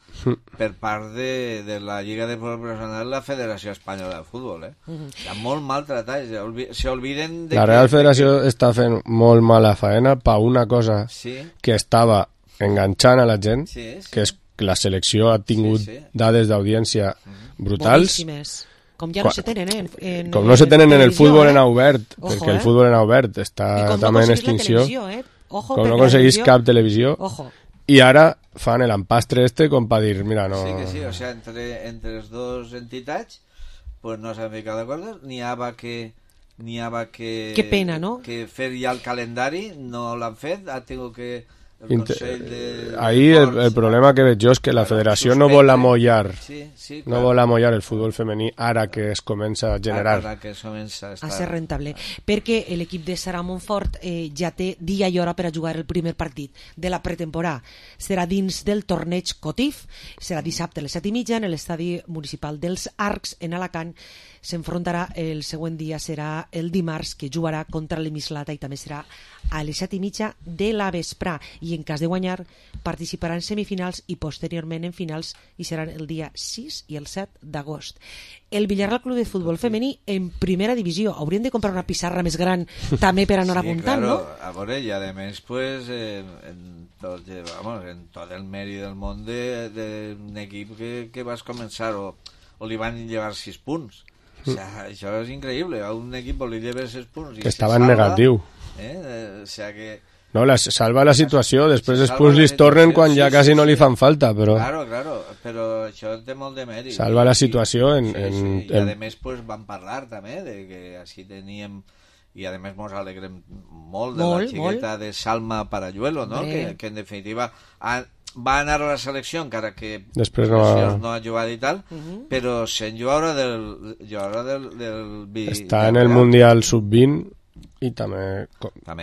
per part de la Lliga de Futbol Professional i la Federació Espanyola de Futbol. Estan molt maltratats. S'olviden de la Real Federació està fent molt mala faena per una cosa que estava enganxant a la gent, que és que la selecció ha tingut dades d'audiència brutals. Boníssimes. Com ja no se tenen com no se tenen en el futbol en obert, perquè el futbol en obert està també en extinció, com no aconseguís cap televisió, i ara fan l'empastre com per dir, mira, no... Sí, o sea, entre les dues entitats pues no s'han ficat d'acord, n'hi havia que que pena, no? Que fer ja el calendari, no l'han fet, ha tingut que Ahí el problema que veig jo és que la federació no vol amollar no vol amollar el futbol femení ara que es comença a generar a ser rentable, perquè l'equip de Sara Montfort ja té dia i hora per a jugar el primer partit de la pretemporada. Serà dins del torneig Cotif, serà dissabte a les 7:30 en l'estadi municipal dels Arcs en Alacant. S'enfrontarà el següent dia, serà el dimarts, que jugarà contra l'Emislata i també serà a les 7:30 de la vesprà, i en cas de guanyar participarà en semifinals i posteriorment en finals, i seran el dia 6 i el 7 d'agost. El Villarreal Club de Futbol Femení en primera divisió. Hauríem de comprar una pissarra més gran també per anar apuntant, claro, ¿no? A veure, i a més pues, en tot el mèrit del món d'un equip que vas començar o li van llevar 6 punts. O sea, això és increïble, a un equip li lleva 6 punts que estava en negatiu, o sea que no, salva la situació, després els punts li tornen quan ja quasi no li fan falta, però claro, però això té molt de mèrit, salva la situació i a més pues, van parlar també de que així teníem, i a més ens alegrem molt de la xiqueta de Salma Parayuelo, no? Que en definitiva va anar a la selecció, encara que després no ha jugat i tal, però sent jugadora del està en el Mundial Sub-20 i també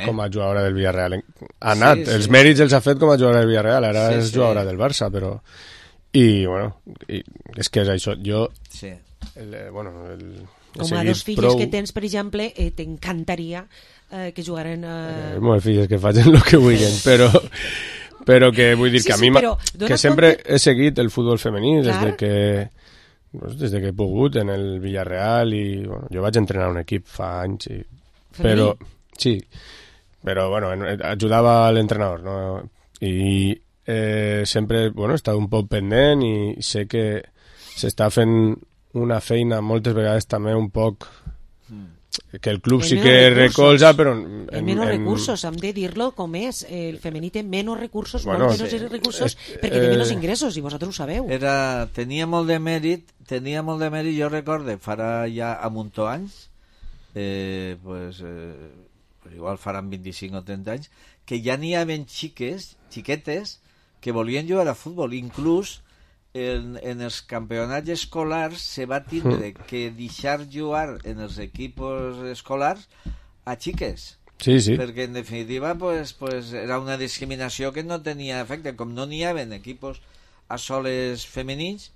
com a jugadora del Villarreal. Ha anat, els mèrits els ha fet com a jugadora del Villarreal, ara és jugadora del Barça, però... I, bueno, és que és això. Jo... Sí. Com a dos filles que tens, per exemple, t'encantaria que jugaren... Molt filles que facin el que vulguin, però que vull dir que a mi que sempre he seguit el futbol femení des que he pogut en el Villarreal i bueno, jo vaig entrenar un equip fa anys però ajudava a l'entrenador, no? I sempre he estat un poc pendent i sé que s'està fent una feina moltes vegades també un poc que el club sí que recolza, però menys recursos, hem de dir-lo com és. El femení té menys recursos, molt menys recursos, perquè té menys ingressos, i vosaltres ho sabeu. Tenia molt de mèrit, jo recorde, farà ja a muntó anys, igual faran 25 o 30 anys, que ja n'hi havia xiquetes, que volien jugar a futbol, inclús en els campionats escolars se va tindre que deixar jugar en els equipos escolars a xiques. Sí. Perquè en definitiva era una discriminació que no tenia efecte. Com no n'hi havia equipos a soles femenins,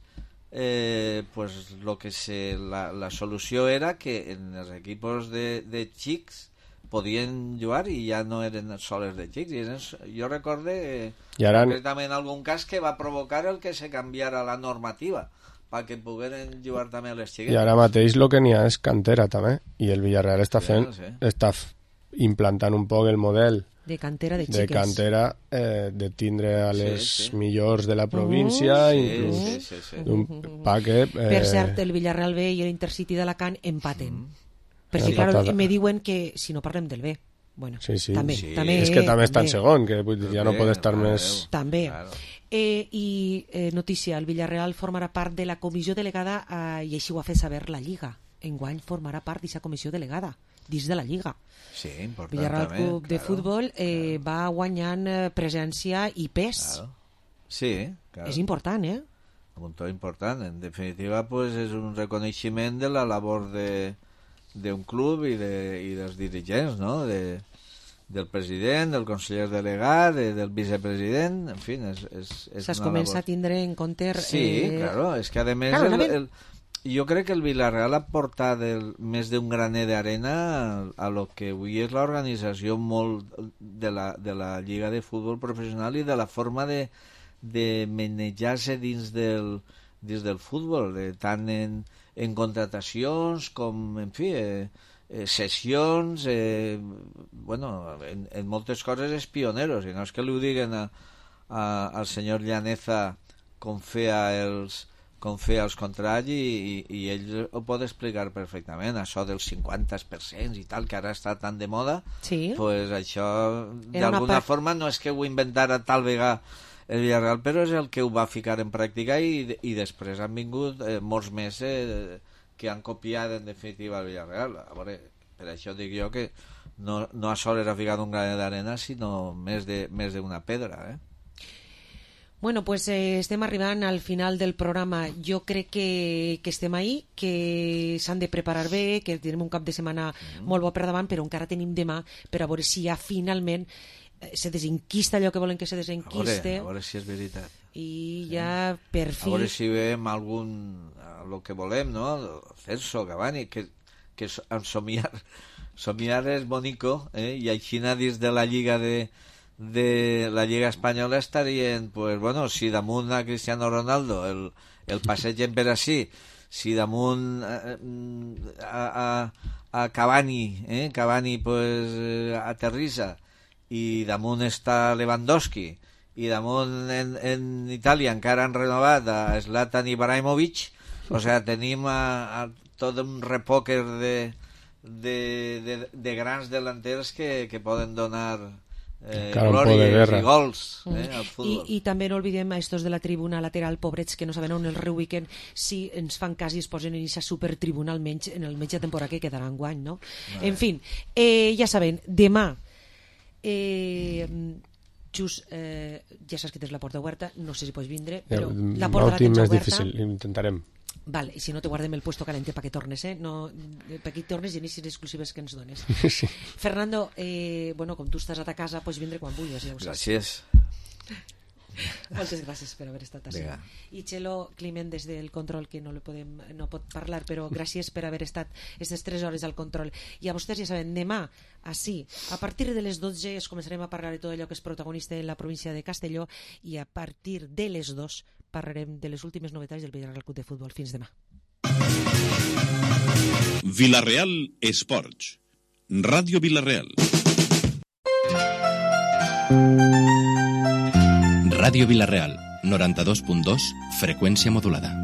la solució era que en els equipos de xics podien jugar i ja no eren soles de xics. Jo recorde concretament algun cas que va provocar el que se canviara la normativa perquè pogueren jugar també les xiquetes. I ara mateix el que n'hi ha és cantera també, i el Villarreal està implantant un poc el model de cantera de xiques, de tindre a les millors de la província, inclús un paquet. Per cert, el Villarreal B i l'Intercity d'Alacant empaten. Perquè, clar, me diuen que si no parlem del B, bueno, també. És que també està en segon, que ja no pot estar més... També. I notícia, el Villarreal formarà part de la comissió delegada, i així ho ha fet saber la Lliga. Enguany formarà part d'aquesta comissió delegada, dins de la Lliga. Sí, important. Villarreal Club de Futbol va guanyant presència i pes. Sí, és important, Un to important. En definitiva, és un reconeixement de la labor d'un club i dels dirigents, no? Del president, del conseller delegat, del vicepresident, en fi, es comença a tindre en compte... Sí, claro, és que a més jo crec que el Villarreal ha portat més d'un graner d'arena a lo que avui és l'organització molt de la Lliga de Futbol Professional i de la forma de manejar-se dins del futbol, tant en contratacions com, en fi, sessions, en moltes coses és pioneros, i no és que li ho diguen al senyor Llaneza com feia els contrats i ell ho pot explicar perfectament, això dels 50% i tal, que ara està tan de moda, pues això d'alguna forma no és que ho inventara tal vegada el Villarreal, però és el que ho va ficar en pràctica i després han vingut molts més que han copiat en definitiva el Villarreal. A veure, per això dic jo que no a sol era ficat un granet d'arena, sinó més d'una pedra, Bueno, pues estem arribant al final del programa. Jo crec que estem ahí, que s'han de preparar bé, que tenim un cap de setmana molt bo per davant, però encara tenim demà per a veure si ja finalment se desenquista allò que volen que se desenquiste. A veure si és veritat. I ja per fi... A veure si veiem el que volem, no? Celso, Cavani, que somiar és bonico, i així dins de la Lliga de la Lliga Espanyola estarien, pues bueno, si damunt a Cristiano Ronaldo el passegen per així, si damunt a Cavani, Cavani pues aterrissa, i damunt està Lewandowski, i damunt en Itàlia encara han renovat a Zlatan Ibrahimovic, o sea, tenim tot un repòquer de grans delanters que poden donar glòries i gols al futbol. I també no oblidem a estos de la tribuna lateral, pobrets, que no saben on el reubiquen, si ens fan cas i es posen en aquesta supertribuna almenys en el mig de temporada que quedarà enguany, no? En fi, ja saben, demà just, ja saps que tens la porta oberta, no sé si pots vindre, però la porta la tens oberta. Difícil, intentarem. Vale, i si no te guardem el puesto calente perquè tornes, no, perquè tornes i anissin exclusives que ens dones. Sí. Fernando, bueno, com tu estàs a ta casa, pots vindre quan vulguis, ja ho saps. Gràcies. Moltes gràcies per haver estat així. I Txelo Climent des del control, que no pot parlar, però gràcies per haver estat aquestes 3 hores al control. I a vostès ja saben, demà així, a partir de les 12 es començarem a parlar de tot allò que és protagonista en la província de Castelló, i a partir de les 2 parlarem de les últimes novetats del Villarreal Club de Futbol. Fins demà. Villarreal Esports, Ràdio Villarreal. Ràdio Villarreal, 92.2, freqüència modulada.